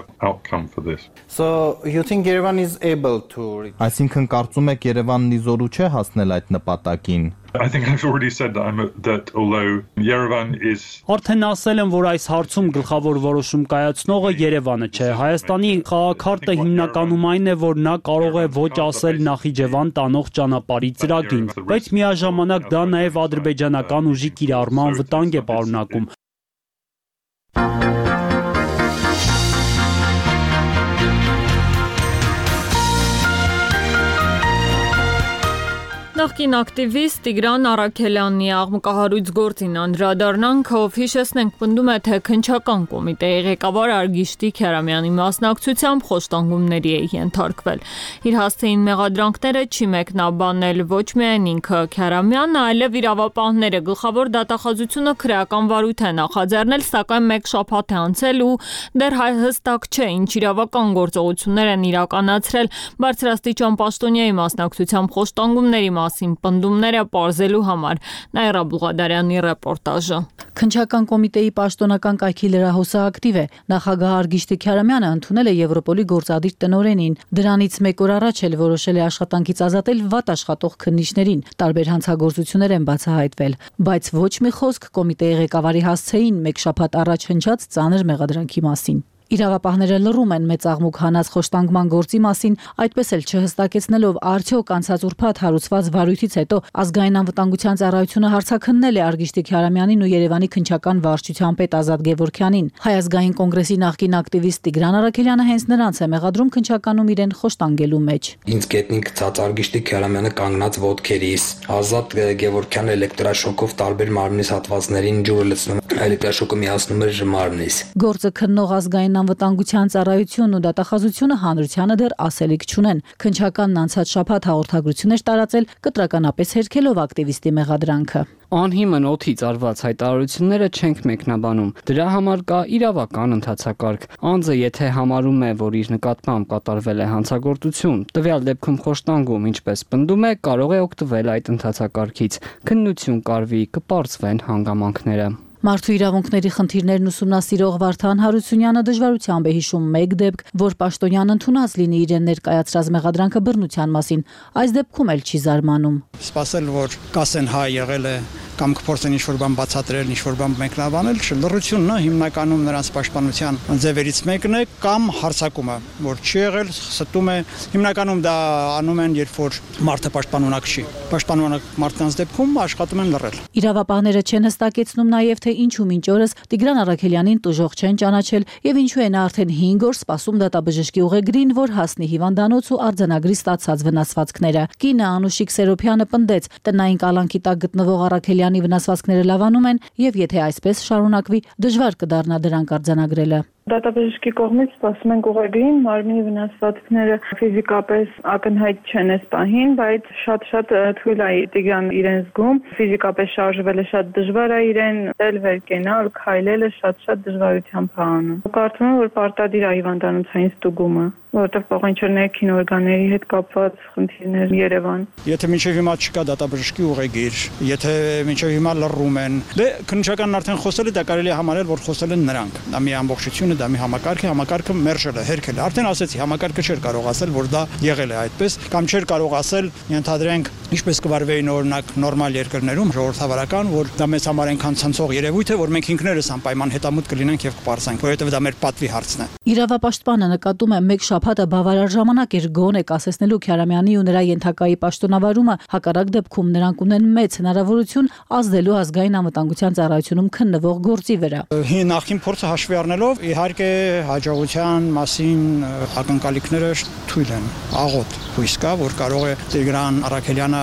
So you think Yerevan is able to Այսինքն կարծում եք Երևանն իզորու չէ հասնել այդ նպատակին։ I think I've already said that although Yerevan is Արդեն ասել եմ, որ այս հարցում գլխավոր որոշում կայացնողը Երևանը չէ։ Հայաստանի խաղաքարտը հիմնականում այն է, որ նա կարող է ոչ ասել Նախիջևան տանող ճանապարհի ծրագրին, բայց միաժամանակ դա նաև ադրբեջանական ուժի կիրառման վտանգ է պարունակում։ Նախկին ակտիվիստ Տիգրան Առաքելյանի աղմկահարույց գործին անդրադառնանք, ով հիշեցնենք պնդում է, թե քննչական կոմիտեի ղեկավար Արգիշտի Քյարամյանի մասնակցությամբ խոշտանգումների է ենթարկվել։ Իր հասցեին մեղադրանքները չի մեկնաբանել ոչ միայն ինքը Քյարամյանը, այլև իրավապահները։ Գլխավոր դատախազությունը քրեական վարույթ է նախաձեռնել, սակայն 1 շաբաթ է անցել ու դեռ հստակ չէ, ինչ իրավական գործողություններ են իրականացրել բարձրաստիճան պաշտոնյայի մասնակցությամբ խոշտանգումների մասին պնդումները պարզելու համար։ Նաիրա Բուղադարյանի ռեպորտաժը։ Քննչական կոմիտեի պաշտոնական կայքի լրահոսաակտիվ է։ Նախագահ Արգիշտի Քյարամյանը ընդունել է Եվրոպոլի գործադիր տնօրենին։ Դրանից 1 օր առաջ էլ որոշել է աշխատանքից ազատել վատ աշխատող քննիչներին։ Տարբեր հանցագործություններ են բացահայտվել, բայց ոչ մի խոսք կոմիտեի ղեկավարի հասցեին 1 շաբաթ առաջ հնչած ծանր մեղադրանքի մասին։ Իրավապահները լռում են մեծ աղմուկ հանած խոշտանգման գործի մասին, այդպես էլ չհստակեցնելով արդյոք անցած ուրբաթ հարուցված վարույթից հետո ազգային անվտանգության ծառայությունը հարցաքննել է Արգիշտի Քյարամյանին ու Երևանի քննչական վարչության պետ Ազատ Գևորգյանին։ Հայ ազգային կոնգրեսի նախկին ակտիվիստ Տիգրան Առաքելյանը հենց նրանց է մեղադրում քննչականում իրեն խոշտանգելու մեջ։ Ինձ գետնին գցած Արգիշտի Քյարամյանը կանգնած ոտքերիս, Ազատ Գևորգյանը էլեկտրաշոկով տարբեր մարմնիս հատվածներին ջուրը լցնում, էլեկտրաշոկը միացնում էր մարմնիս։ Գործը քննող ազգային անվտանգության ծառայությունն ու դատախազությունը հանրությանը դեռ ասելիք չունեն։ Քննչականն անցած շաբաթ հաղորդագրություն էր տարածել, կտրականապես հերքելով ակտիվիստի մեղադրանքը։ Անհիմն օդից արված հայտարարությունները չենք մեկնաբանում։ Դրա համար կա իրավական ընթացակարգ։ Անձը, եթե համարում է, որ իր նկատմամբ կատարվել է հանցագործություն, տվյալ դեպքում խոշտանգում, ինչպես պնդում է, կարող է օգտվել այդ ընթացակարգից։ Քննություն կարվի, կպարզվեն հանգամանքները։ Մարդու իրավունքների խնդիրներն ուսումնասիրող Վարդան Հարությունյանը դժվարությամբ է հիշում 1 դեպք, որ պաշտոնյան ընդունած լինի իրեն ներկայացրած մեղադրանքը բռնության մասին։ Այս դեպքում էլ չի զարմանում։ Սպասել, որ կասեն հա եղել է կամ կփորձեն ինչ-որ բան բացատրել, ինչ-որ բան մեկնաբանել, լռությունն է հիմնականում նրանց պաշտպանության ձևերից մեկն է, կամ հարձակումը, որ չի եղել, ստում է, հիմնականում դա անում են, երբ որ մարդը պաշտպանունակ չի։ Պաշտպանունակ մարդկանց դեպքում աշխատում են լռել։ Իրավապահները չեն հստակեցնում նաև, թե ինչու մինչ օրս Տիգրան Առաքելյանին տուժող չեն ճանաչել եւ ինչու է նա արդեն 5 օր սպասում դատաբժշկի ուղեգրին, որ հասնի հիվանդանոց ու արձանագրի ստացած վնասվածքները։ Կինը Անուշիկ Սերոփյանը պնդեց, տնային կալանքի տակ գտնվող Առաքելյանի վնասվածքները լավանում են եւ եթե այսպես շարունակվի, դժվար կդառնա դրանք արձանագրելը։ Դատաբժշկի կողմից սպասում ենք ուղեգրին, մարմնի վնասվածքները ֆիզիկապես ակնհայտ չեն այս պահին, բայց շատ թույլ է Տիգրան իրեն զգում, ֆիզիկապես շարժվելը շատ դժվար է իրեն, վեր կենալ, քայլելը շատ դժվարությամբ է անում։ Կարծում եմ, որ պարտադիր է հիվանդանոցային ստուգումը, որովհետև կարող ինչ-որ ներքին օրգանների հետ կապված խնդիրներ Երևան։ Եթե մինչև հիմա չկա դատաբժշկի ուղեգիր, եթե մինչև հիմա լռում են, քննչականն արդեն խոսել է, դա կարելի է համարել, որ խոսել են նրանք։ Դա մի ամբողջություն է, դա մի համակարգը մերժել է, հերքել է։ Արդեն ասեցի, համակարգը չէր կարող ասել, որ դա եղել է այդպես, կամ չէր կարող ասել, ենթադրենք, ինչպես կվարվեին օրինակ նորմալ երկրներում, ժողովրդավարական, որ դա մեզ համար այնքան ցնցող երևույթ է, որ մենք ինքներս անպայման հետամուտ կլինենք եւ կպարզենք, որովհետեւ դա մեր պատվի հարցն է։ Իրավապաշտպանը նկատում է մեկ շաբաթը բավարար ժամանակ էր գոնե կասեցնելու Քյարամյանի ու նրա ենթակայի պաշտոնավարումը, հակառակ դեպքում նրանք ունեն մեծ հնարավորություն ազդելու ազգային անվտանգության ծառայությունում քննվող գործի վրա։ Նախին փորձը հաշվի առնելով, իհարկե հաջողության մասին ակնկալիքները թույլ են, աղոտ հույս կա, որ կարող է Տիգրան Առաքելյանը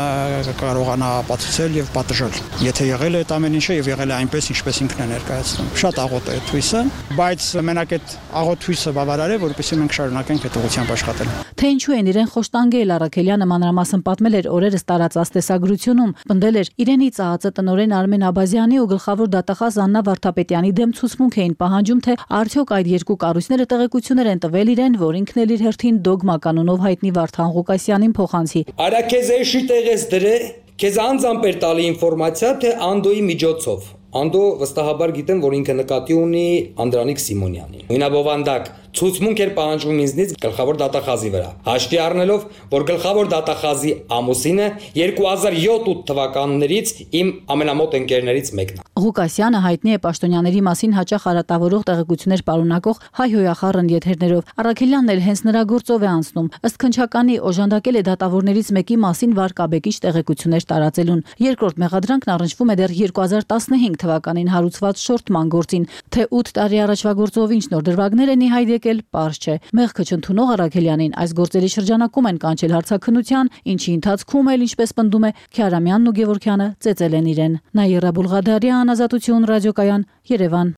կարողանա ապացուցել եւ պատժել։ Եթե եղել է այդ ամեն ինչը եւ եղել է այնպես, ինչպես ինքն է ներկայացնում։ Շատ աղոտ է այդ հույսը, բայց մենակ այդ աղոտ հույսը բավարար է, որպեսզի մենք շարունակենք այդ ուղղությամբ աշխատել։ Թե ինչու են իրեն խոշտանգել Առաքելյանը մանրամասն պատմել էր օրերս տարածած տեսագրությունում, պնդել էր իրենի ծաղացը տնօրեն Արմեն Աբազյանի ու գլխավոր դատախազ Աննա Վարդապետյանի դեմ ցուցմունք էին պահանջում, թե արդյոք այդ երկու կառույցները տեղեկություններ են տվել իրեն, որ ինքն էլ իր հերթին դոգմա կանոնով հայտնի Վարդան Ղուկասյանին փոխանցի։ Արա քեզ էշի տեղես դրե, քեզ անձամբ էր տալի ինֆորմացիա, թե Անդոյի միջոցով։ Անդո վստահաբար գիտեմ, որ ինքը նկատի ունի Անդրանիկ Սիմոնյանին։ Նույնաբովանդակ ցուցմունք էր պահանջում ինձնից գլխավոր դատախազի վրա։ Հաշվի առնելով, որ գլխավոր դատախազի ամուսինը 2007 թվականներից իմ ամենամոտ ընկերներից մեկն է։ Ղուկասյանը հայտնի է պաշտոնյաների մասին հաճախ արատավորող տեղեկություններ պարունակող հայհոյախառն եթերներով։ Առաքելյանն էլ հենց նրա գործով է անցնում։ Ըստ քննչականի օժանդակել է դատավորներից մեկի մասին վարկաբեկիչ տեղեկություններ տարածելուն։ Երկրորդ մեղադրանքն առնչվում է դեռ 2015 թվականին հարուցված շորթման գործին, թե 8 տարի առաջվա գործով ինչ նոր դրվագներ են ի հայտ եկել, պարզ չէ։ Մեղքը չընդունող Առաքելյանին այս գործերի շրջանակում են կանչել հարցաքննության, ինչի ընթացքում էլ, ինչպես պնդում է, Քյարամյանն ու Գևորգյանը ծեծել են իրեն։ Նաիրա Բուլղադարյան, Ազատություն ռադիոկայան, Երևան։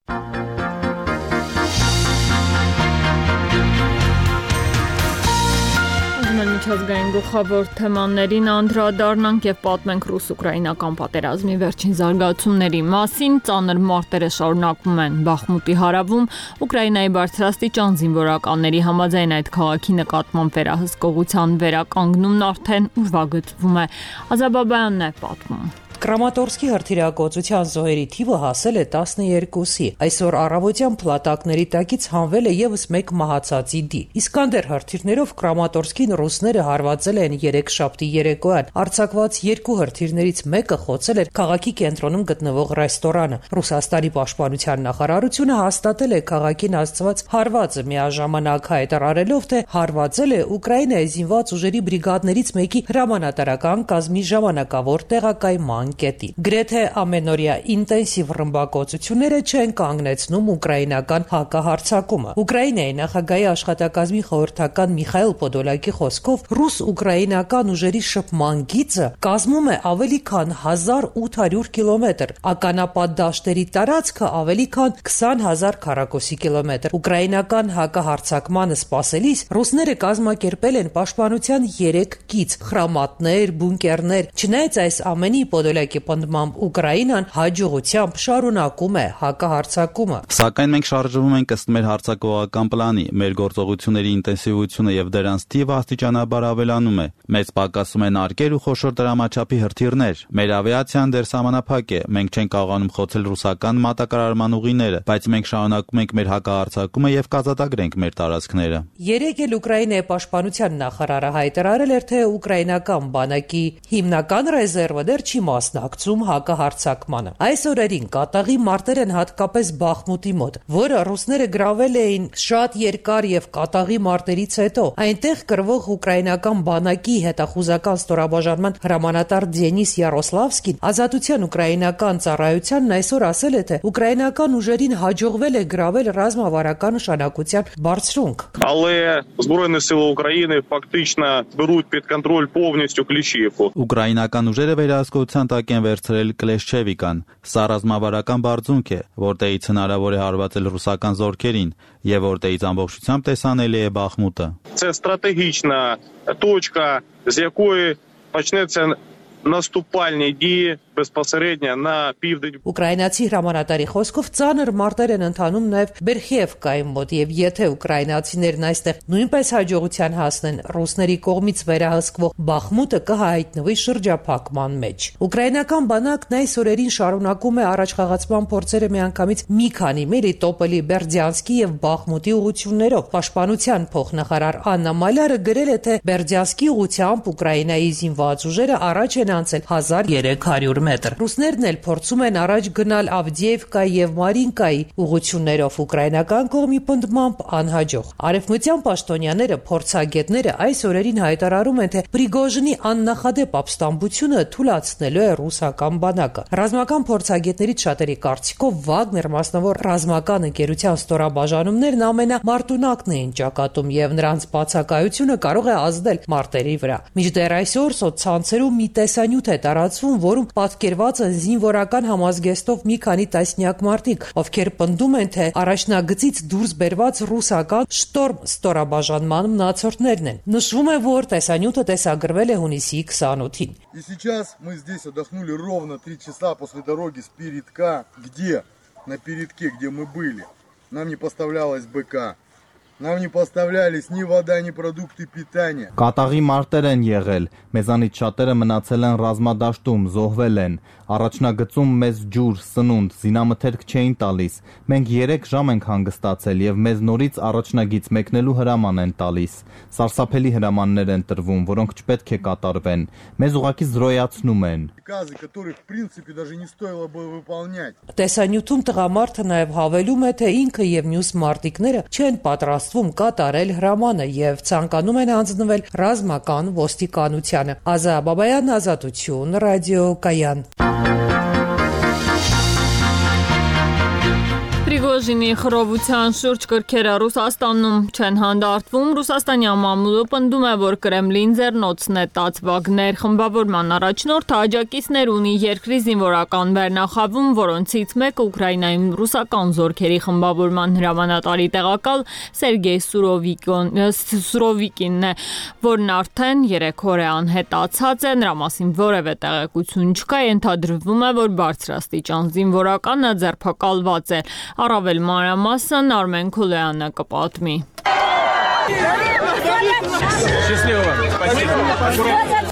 Միջազգային գլխավոր թեմաներին անդրադառնանք եւ պատմենք ռուս-ուկրաինական պատերազմի վերջին զարգացումների մասին։ Ծանր մարտերը շարունակվում են Բախմուտի հարավում։ Ուկրաինայի բարձրաստիճան զինվորականների համաձայն այդ քաղաքի նկատմամբ վերահսկողության վերականգնումն արդեն ուրվագծվում է։ Ազաբաբյանն է պատմում։ Կրամատորսկի հրթիռակոծության զոհերի թիվը հասել է 12-ի։ Այսօր առավոտյան փլատակների տակից հանվել է եւս մեկ մահացածի դի։ Իսկանդեր հրթիռներով Կրամատորսկին ռուսները հարվածել են 3 շաբթի երեկոյան։ Արձակված 2 հրթիռներից մեկը խոցել էր քաղաքի կենտրոնում գտնվող ռեստորանը։ Ռուսաստանի պաշտպանության նախարարությունը հաստատել է քաղաքին հասցված հարվածը, միաժամանակ հայտարարելով, թե հարվածել է Ուկրաինայի զինված ուժերի բրիգադներից մեկի հրամանատարական կազմի ժամանակավոր տեղակայման կետի։ Գրեթե ամենօրյա ինտենսիվ ռմբակոծությունները չեն կանգնեցնում ուկրաինական հակահարձակումը։ Ուկրաինայի նախագահի աշխատակազմի խորհրդական Միխայել Պոդոլակի խոսքով ռուս-ուկրաինական ուժերի շփման գիծը կազմում է ավելի քան 1800 կիլոմետր, ականապատ դաշտերի տարածքը ավելի քան 20,000 քառակուսի կիլոմետր։ Ուկրաինական հակահարձակմանը սպասելիս ռուսները կազմակերպել են պաշտպանության 3 գիծ՝ խրամատներ, բունկերներ։ Չնայած այս ամենի Պոդոլակի պնդմամբ Ուկրաինան հաջողությամբ շարունակում է հակահարձակումը։ Սակայն մենք շարժվում ենք ըստ մեր հարձակողական պլանի, մեր գործողությունների ինտենսիվությունը եւ դրանց թիվը աստիճանաբար ավելանում է։ Մեծ պակասում են արկեր ու խոշոր դրամաչափի հրթիռներ։ Մեր ավիացիան դեռ սահմանափակ է։ Մենք չենք կարողանում խոցել ռուսական մատակարարման ուղիները, բայց մենք շարունակում ենք մեր հակահարձակումը եւ կազատագրենք մեր տարածքները։ Երեկ էլ Ուկրաինայի պաշտպանության նախարարը հայտարարել էր, թե ուկրաինական բանակի հիմնական ռեզերվը դեռ չի մասնակցում հակահարձակմանը։ Այս օրերին կատաղի մարտեր են հատկապես Բախմուտի մոտ, որը ռուսները գրավել էին շատ երկար եւ կատաղի մարտերից հետո։ Այնտեղ կրվող ուկրաինական բանակի հետախուզական ստորաբաժանման հրամանատար Դենիս Յարոսլավսկին Ազատության ուկրաինական ծառայությանն այսօր ասել է, թե ուկրաինական ուժերին հաջողվել է գրավել ռազմավարական նշանակության բարձրունք։ Але Збройні сили України фактично беруть під контроль повністю Кліщівку. Ուկրաինական ուժերը վերահսկողության տակ են վերցրել Կլեշչևիկան։ Սա ռազմավարական բարձունք է, որտեղից հնարավոր է հարվածել ռուսական զորքերին եւ որտեղից ամբողջությամբ տեսանելի է Բախմուտը։ Це стратегічна точка, з якої почнеться наступальні дії безпосередньо на південь. Ուկրաինացի հրամանատարի խոսքով ծանր մարտեր են ընթանում նաև Բերխիևկայի մոտ եւ եթե ուկրաինացիներն այստեղ նույնպես հաջողության հասնեն, ռուսների կողմից վերահսկվող Բախմուտը կհայտնվի շրջափակման մեջ։ Ուկրաինական բանակն այս օրերին շարունակում է առաջխաղացման փորձերը միանգամից մի քանի Մելիտոպոլի, Բերդյանսկի եւ Բախմուտի ուղղություններով։ Պաշտպանության փոխնախարար Աննա Մալյարը գրել է, թե Բերդյանսկի ուղղությամբ Ուկրաինայի զինված ուժերը առաջ են անցել 1300 մետր։ Ռուսներն էլ փորձում են առաջ գնալ Ավդիևկայի եւ Մարինկայի ուղղություններով ուկրաինական կողմի պնդմամբ անհաջող։ Արևմտյան պաշտոնյաները, փորձագետները այս օրերին հայտարարում են, թե Պրիգոժինի աննախադեպ ապստամբությունը թուլացնելու է ռուսական բանակը։ Ռազմական փորձագետներից շատերի կարծիքով Վագներ մասնավոր ռազմական ընկերության ստորաբաժանումներն ամենամարտունակն էին ճակատում եւ նրանց բացակայությունը կարող է ազդել մարտերի վրա։ Մինչդեռ այսօր սոցցանցերում մի տեսանյութ է տարածվում, որում պատկերված են զինվորական համազգեստով մի քանի տասնյակ մարդիկ, ովքեր պնդում են, թե առաջնագծից դուրս բերված ռուսական շտորմ ստորաբաժանման մնացորդներն են։ Նշվում է, որ տեսանյութը տեսագրվել է հունիսի 28-ին։ И сейчас мы здесь отдохнули ровно 3 часа после дороги с передка, где на передке, где мы были, нам не поставлялась БК. Нам не поставлялись ни вода, ни продукты питания. Կատաղի մարտեր են եղել, մեզանից շատերը մնացել են ռազմադաշտում, զոհվել են, առաջնագծում մեզ ջուր, սնունդ, զինամթերք չէին տալիս, մենք 3 ժամ ենք հանգստացել եւ մեզ նորից առաջնագից մեկնելու հրաման են տալիս, սարսափելի հրամաններ են տրվում, որոնք չպետք է կատարվեն, մեզ ուղղակի զրոյացնում են։ Приказы, которые в принципе даже не стоило бы выполнять. Տեսանյութում տղամարդը նաև հավելում է, թե ինքը եւ մյուս մարտիկները չեն պատրաստվում կատարել հրամանը եւ ցանկանում են հանձնվել ռազմական ոստիկանությանը։ Ազա Բաբայան, Ազատություն, ռադիո Կայան։ Պրիգոժինի խռովության շուրջ կրքերը Ռուսաստանում չեն հանդարտվում։ Ռուսաստանյան մամուլը պնդում է, որ Կրեմլին ձեռնոցն է տած Վագներ խմբավորման առաջնորդը աջակիցներ ունի երկրի զինվորական վերնախավում, որոնցից մեկը Ուկրաինայում ռուսական զորքերի խմբավորման հրամանատարի տեղակալ Սերգեյ Սուրովիկինն է, որն արդեն 3 օր է անհետացած է, նրա մասին որևէ տեղեկություն չկա, ենթադրվում է, որ բարձրաստիճան զինվորականը ձերբակալված է։ Առավել մանրամասն Արմեն Քոլյանը կպատմի։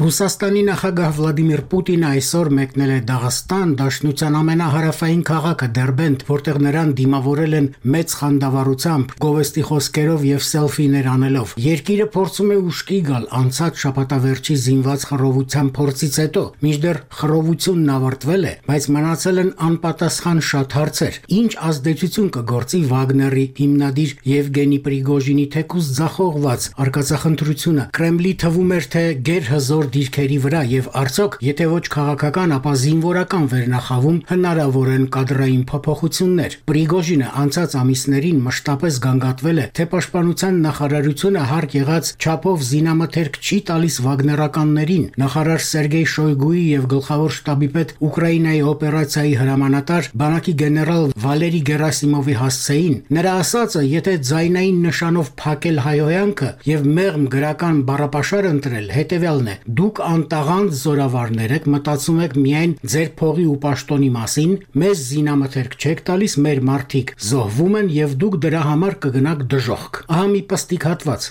Ռուսաստանի նախագահ Վլադիմիր Պուտինը այսօր մեկնել է Դաղստան, Դաշնության ամենահարավային քաղաքը Դերբենդ, որտեղ նրան դիմավորել են մեծ խանդավառությամբ, գովեստի խոսքերով եւ սելֆիներ անելով։ Երկիրը փորձում է ուշքի գալ անցած շաբաթավերջի զինված խռովության փորձից հետո, մինչդեռ խռովությունն ավարտվել է, բայց մնացել են անպատասխան շատ հարցեր։ Ինչ ազդեցություն կգործի Վագների հիմնադիր Եվգենի Պրիգոժինի թեկուզ ձախողված արկածախնդրությունը Կրեմլի թվում էր, թե գերհզոր դիրքերի վրա եւ արդյոք եթե ոչ քաղաքական, ապա զինվորական վերնախավում հնարավոր են կադրային փոփոխություններ։ Պրիգոժինը անցած ամիսներին մշտապես գանգատվել է, թե պաշտպանության նախարարությունը հարկ եղած չափով զինամթերք չի տալիս վագներականներին։ Նախարար Սերգեյ Շոյգուի եւ գլխավոր շտաբի պետ Ուկրաինայի օպերացիայի հրամանատար բանակի գեներալ Վալերի Գերասիմովի հասցեին նրա ասածը, եթե ձայնային նշանով փակել հայհոյանքը եւ մեղմ գրական բառապաշար ընտրել, հետեւյալն է. դուք անտաղանդ զորավարներ եք, մտածում եք միայն ձեր փողի ու պաշտոնի մասին, մեզ զինամթերք չեք տալիս, մեր մարդիկ զոհվում են եւ դուք դրա համար կգնաք դժոխք։ Ահա մի պստիկ հատված։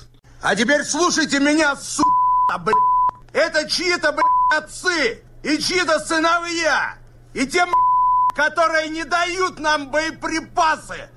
А теперь слушайте меня, это чьи-то отцы и чьи-то сыновья и те которые не дают нам боеприпасы,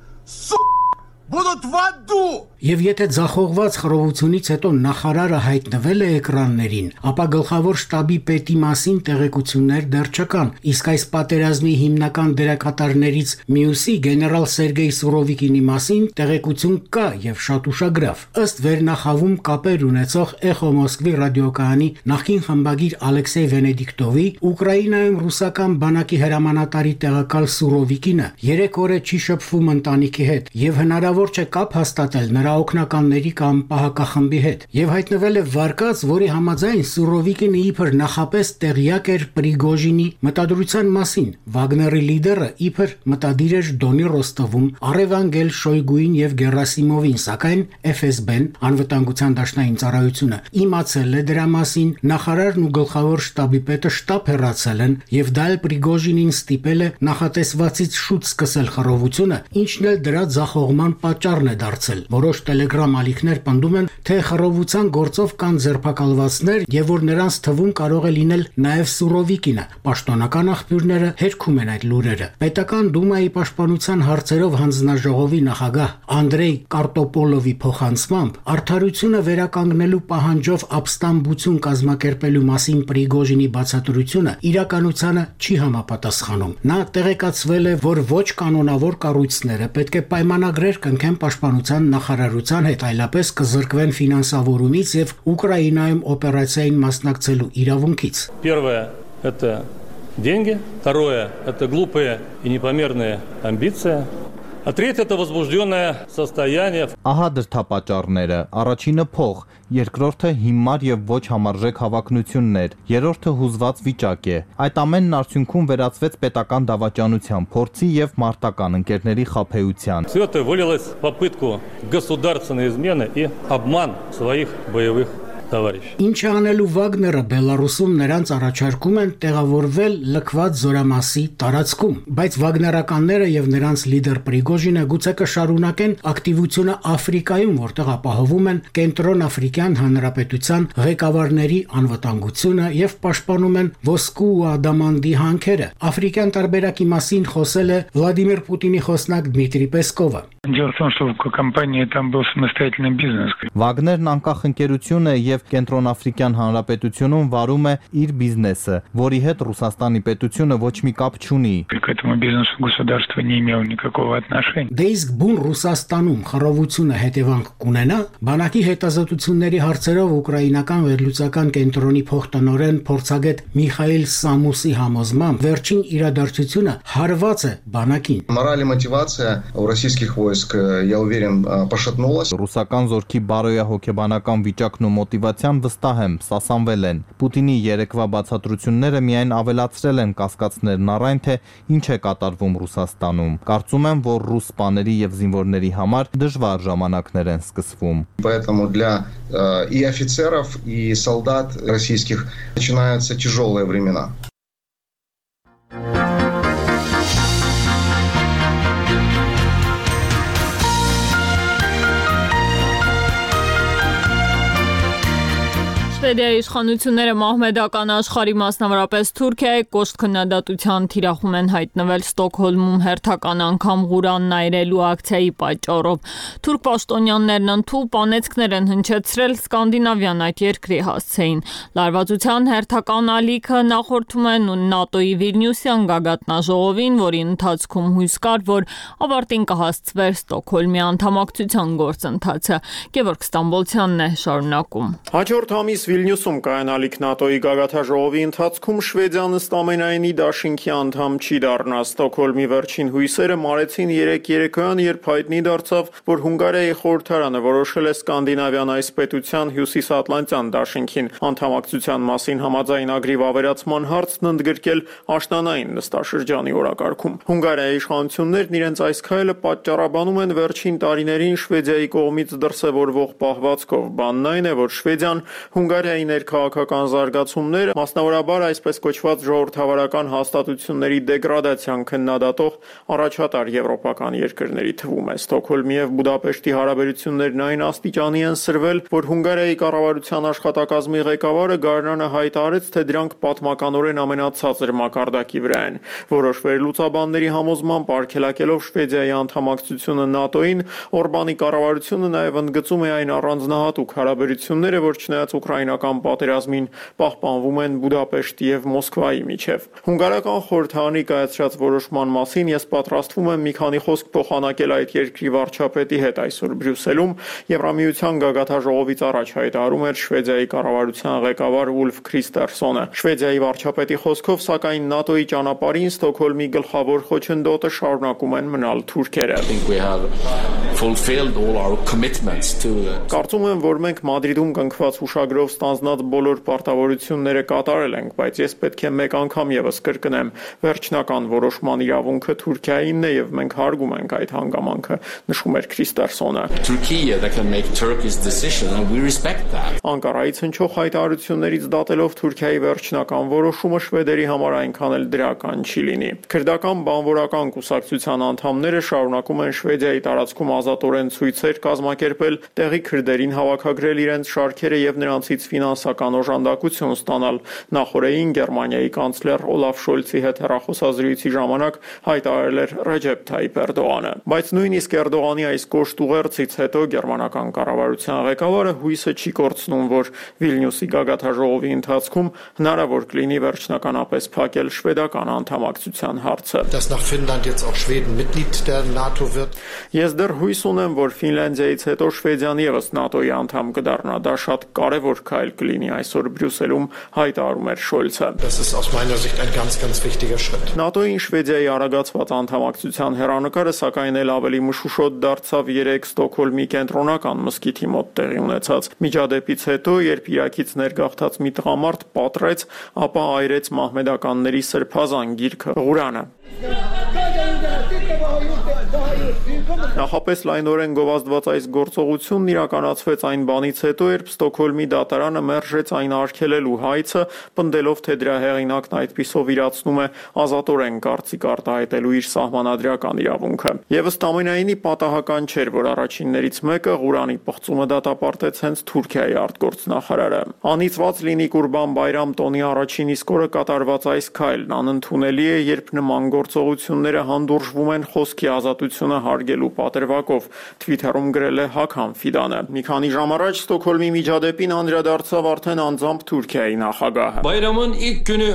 будут в аду. Եվ եթե ձախողված խռովությունից հետո նախարարը հայտնվել է էկրաններին, ապա գլխավոր շտաբի պետի մասին տեղեկություններ դեռ չկան, իսկ այս պատերազմի հիմնական դերակատարներից մյուսի գեներալ Սերգեյ Սուրովիկինի մասին տեղեկություն կա եւ շատ ուշագրավ։ Ըստ վերնախավում կապեր ունեցող Էխո Մոսկվի ռադիոկայանի նախկին խմբագիր Ալեքսեյ Վենեդիկտովի, Ուկրաինայում ռուսական բանակի հրամանատարի տեղակալ Սուրովիկինը 3 օր է չի շփվում ընտանիքի հետ եւ հնարավոր հնարավոր չէ կապ հաստատել նրա օգնականների կամ պահակախմբի հետ, եւ հայտնվել է վարկած, որի համաձայն Սուրովիկինը իբր նախապես տեղյակ էր Պրիգոժինի մտադրության մասին։ Վագների լիդերը իբր մտադիր էր Դոնի Ռոստովում Արևանգել Շոյգուին եւ Գերասիմովին, սակայն FSB-ն անվտանգության դաշնային ծառայությունը իմացել է դրա մասին, նախարարն ու գլխավոր շտաբի պետը շտապ հեռացել են եւ դա էլ Պրիգոժինին ստիպել է նախատեսվածից շուտ սկսել խռովությունը, ինչն էլ դրա ձախողման պատճառն է դարձել։ Որոշ Telegram ալիքներ պնդում են, թե խռովության գործով կան ձերբակալվածներ եւ որ նրանց թվում կարող է լինել նաեւ Սուրովիկինը։ Պաշտոնական աղբյուրները հերքում են այդ լուրերը։ Պետական դումայի պաշտպանության հարցերով հանձնաժողովի նախագահ Անդրեյ Կարտոպոլովի փոխանցմամբ արդարությունը վերականգնելու պահանջով ապստամբություն կազմակերպելու մասին Պրիգոժինի բացատրությունը իրականությանը չի համապատասխանում։ Նա տեղեկացվել է, որ ոչ կանոնավոր կառույցները պետք է պայմանագրեր կնքեն պաշտպանության նախարարության հետ, այլապես կզրկվեն ֆինանսավորումից եւ Ուկրաինայում օպերացիային մասնակցելու իրավունքից։ Первое это деньги, второе это глупые и непомерные амбиции. А третье это возбужденное состояние. Ահա դրդապատճառները. առաջինը փող, երկրորդը հիմար եւ ոչ համարժեք հավակնություններ, երրորդը հուզված վիճակ է։ Այդ ամենն արդյունքում վերածվեց պետական դավաճանության, փորձի եւ մարտական ընկերների խաբեության։ Все это вылилось в попытку государственной измены и обман своих боевых товарищей. Ինչ անելու Վագները Բելարուսում նրանց առաջարկում են տեղավորվել լքված զորամասի տարածքում, բայց վագներականները եւ նրանց լիդեր Պրիգոժինը գուցե կշարունակեն ակտիվությունը Աֆրիկայում, որտեղ ապահովում են Կենտրոն Աֆրիկյան Հանրապետության ղեկավարների անվտանգությունը եւ պաշտպանում են ոսկու ու ադամանդի հանքերը։ Աֆրիկյան տարբերակի մասին խոսել է Վլադիմիր Պուտինի խոսնակ Դմիտրի Պեսկովը։ Дело в том, что в компании там был самостоятельный бизнес. Վագներն անկախ ընկերություն է եւ Կենտրոնաֆրիկյան Հանրապետությունում վարում է իր բիզնեսը, որի հետ Ռուսաստանի պետությունը ոչ մի կապ չունի։ К этому бизнесу государство не имело никакого отношения. Դե իսկ բուն Ռուսաստանում խռովությունը հետևանք կունենա։ Բանակի հետազոտությունների հարցերով ուկրաինական վերլուծական կենտրոնի փոխտնօրեն փորձագետ Միխայել Սամուսի համոզմամբ վերջին իրադարձությունը հարված է բանակին։ Мораль и мотивация у российских войск, я уверен, пошатнулась. Ռուսական զորքի բարոյահոգեբանական վիճակն ու մոտիվացիան վստահ եմ, սասանվել են։ Պուտինի երեկվա բացատրությունները միայն ավելացրել են կասկածներն առայն թե ինչ է կատարվում Ռուսաստանում։ Կարծում եմ, որ ռուս սպաների եւ զինվորների համար դժվար ժամանակներ են սկսվում։ Поэтому для и офицеров, и солдат российских начинаются тяжелые времена. Շվեդիայի իշխանությունները մահմեդական աշխարհի մասնավորապես Թուրքիայի կոշտ քննադատության թիրախում են հայտնվել Ստոկհոլմում հերթական անգամ Ղուրան այրելու ակցիայի պատճառով։ Թուրք պաշտոնյաներն ընդհանուր պանեցքներ են հնչեցրել Սկանդինավյան այդ երկրի հասցեին։ Լարվածության հերթական ալիքը նախորդում են ՆԱՏՕ-ի Վիլնյուսյան գագաթնաժողովին, որի ընթացքում հույս կար, որ ավարտին կհասցվեր Ստոկհոլմի անդամակցության գործընթացը։ Գևորգ Ստամբոլցյանն է շարունակում։ Հաջորդ ամիս Վիլնյուսում կայանալիք ՆԱՏՕ-ի գագաթնաժողովի ընթացքում Շվեդիան ըստ ամենայնի դաշինքի անդամ չի դառնա։ Ստոկհոլմի վերջին հույսերը մարեցին երեկոյան, երբ հայտնի դարձավ, որ Հունգարիայի խորհրդարանը որոշել է Սկանդինավյան այս պետության հյուսիսատլանտյան դաշինքին անդամակցության մասին համաձայնագրի վավերացման հարցն ընդգրկել աշնանային նստաշրջանի օրակարգում։ Հունգարիայի իշխանություններն իրենց այս քայլը պատճառաբանում են վերջին տարիներին Շվեդիայի կողմից դրսևորվող պահվածքով։ Բանն այն է, որ Շվեդիան Հունգարիայի ներքաղաքական զարգացումները, մասնավորաբար այսպես կոչված ժողովրդավարական հաստատությունների դեգրադացիան քննադատող առաջատար եվրոպական երկրների թվում է։ Ստոկհոլմի եւ Բուդապեշտի հարաբերություններն այն աստիճանի են սրվել, որ Հունգարիայի կառավարության աշխատակազմի ղեկավարը գարնանը հայտարարեց, թե դրանք պատմականորեն ամենացածր մակարդակի վրա են։ Որոշ վերլուծաբանների համոզմամբ արգելակելով Շվեդիայի անդամակցությունը ՆԱՏՕ-ին, Օրբանի կառավարությունը նաեւ ընդգծում է այն առանձնահատուկ հարաբերությունները, որ չնայած ուկրաինական պատերազմին պահպանվում են Բուդապեշտի եւ Մոսկվայի միջև։ Հունգարական խորհրդարանի կայացրած որոշման մասին ես պատրաստվում եմ մի քանի խոսք փոխանակել այդ երկրի վարչապետի հետ այսօր Բրյուսելում, Եվրամիության գագաթնաժողովից առաջ հայտարարում էր Շվեդիայի կառավարության ղեկավար Ուլֆ Քրիստերսոնը։ Շվեդիայի վարչապետի խոսքով, սակայն ՆԱՏՕ-ի ճանապարհին Ստոկհոլմի գլխավոր խոչընդոտը շարունակում են մնալ թուրքերը։ fulfilled all our commitments to Կարծում եմ, որ մենք Մադրիդում կնքված հուշագրով ստանձնած բոլոր պարտավորությունները կատարել ենք, բայց ես պետք է մեկ անգամ եւս կրկնեմ, վերջնական որոշման իրավունքը Թուրքիայինն է եւ մենք հարգում ենք այդ հանգամանքը, նշում էր Քրիստերսոնը։ Turkey that can make Turkey's decision and we respect that. Անկարայից հնչող հայտարարություններից դատելով Թուրքիայի վերջնական որոշումը շվեդերի համար այնքան էլ դրական չի լինի։ Քրդական բանվորական կուսակցության անդամները շարունակում են Շվեդիայի տարածքում ազատորեն ցույցեր կազմակերպել, տեղի քրդերին հավաքագրել իրենց շարքերը եւ նրանցից ֆինանսական օժանդակություն ստանալ։ Նախորդին Գերմանիայի կանցլեր Օլաֆ Շոլցի հետ հեռախոսազրույցի ժամանակ հայտարարել էր Ռեջեփ Թայիփ Էրդողանը։ Բայց նույնիսկ Էրդողանի այս կոշտ ուղերձից հետո գերմանական կառավարության ղեկավարը հույսը չի կորցնում, որ Վիլնյուսի գագաթաժողովի ընթացքում հնարավոր կլինի վերջնականապես փակել շվեդական անդամակցության հարցը։ Ես դեռ հույս ունեմ, որ Ֆինլանդիայից հետո Շվեդիան եւս ՆԱՏՕ-ի անդամ կդառնա, դա շատ կարևոր քայլ կլինի, այսօր Բրյուսելում հայտարարում էր Շոլցը։ ՆԱՏՕ-ին Շվեդիայի արագացված անդամակցության հեռանկարը սակայն էլ ավելի մշուշոտ դարձավ 3 Ստոկհոլմի կենտրոնական մզկիթի մոտ տեղի ունեցած միջադեպից հետո, երբ Իրաքից ներգաղթած մի տղամարդ պատռեց, ապա այրեց մահմեդականների սրբազան գիրքը Ղուրանը։ Նախապես լայնորեն գովազդված այս գործողությունն իրականացվեց այն բանից հետո, երբ Ստոկհոլմի դատարանը մերժեց այն արգելելու հայցը, պնդելով, թե դրա հեղինակն այդպիսով իրացնում է ազատորեն կարծիք արտահայտելու իր սահմանադրական իրավունքը։ Եվ ըստ ամենայնի պատահական չէր, որ առաջիններից մեկը Ղուրանի պղծումը դատապարտեց հենց Թուրքիայի արտգործնախարարը։ Անիծված լինի Կուրբան Բայրամ տոնի առաջին իսկ օրը կատարված այս քայլն անընդունելի է, երբ նման գործողությունները հանդուրժվում են խոսքի ազատությունը հարգելու պատրվակով, Twitter-ում գրել է Հաքան Ֆիդանը։ Մի քանի ժամ առաջ Ստոկհոլմի միջադեպին անդրադարձավ արդեն անձամբ Թուրքիայի նախագահը։ Bayramın ilk günü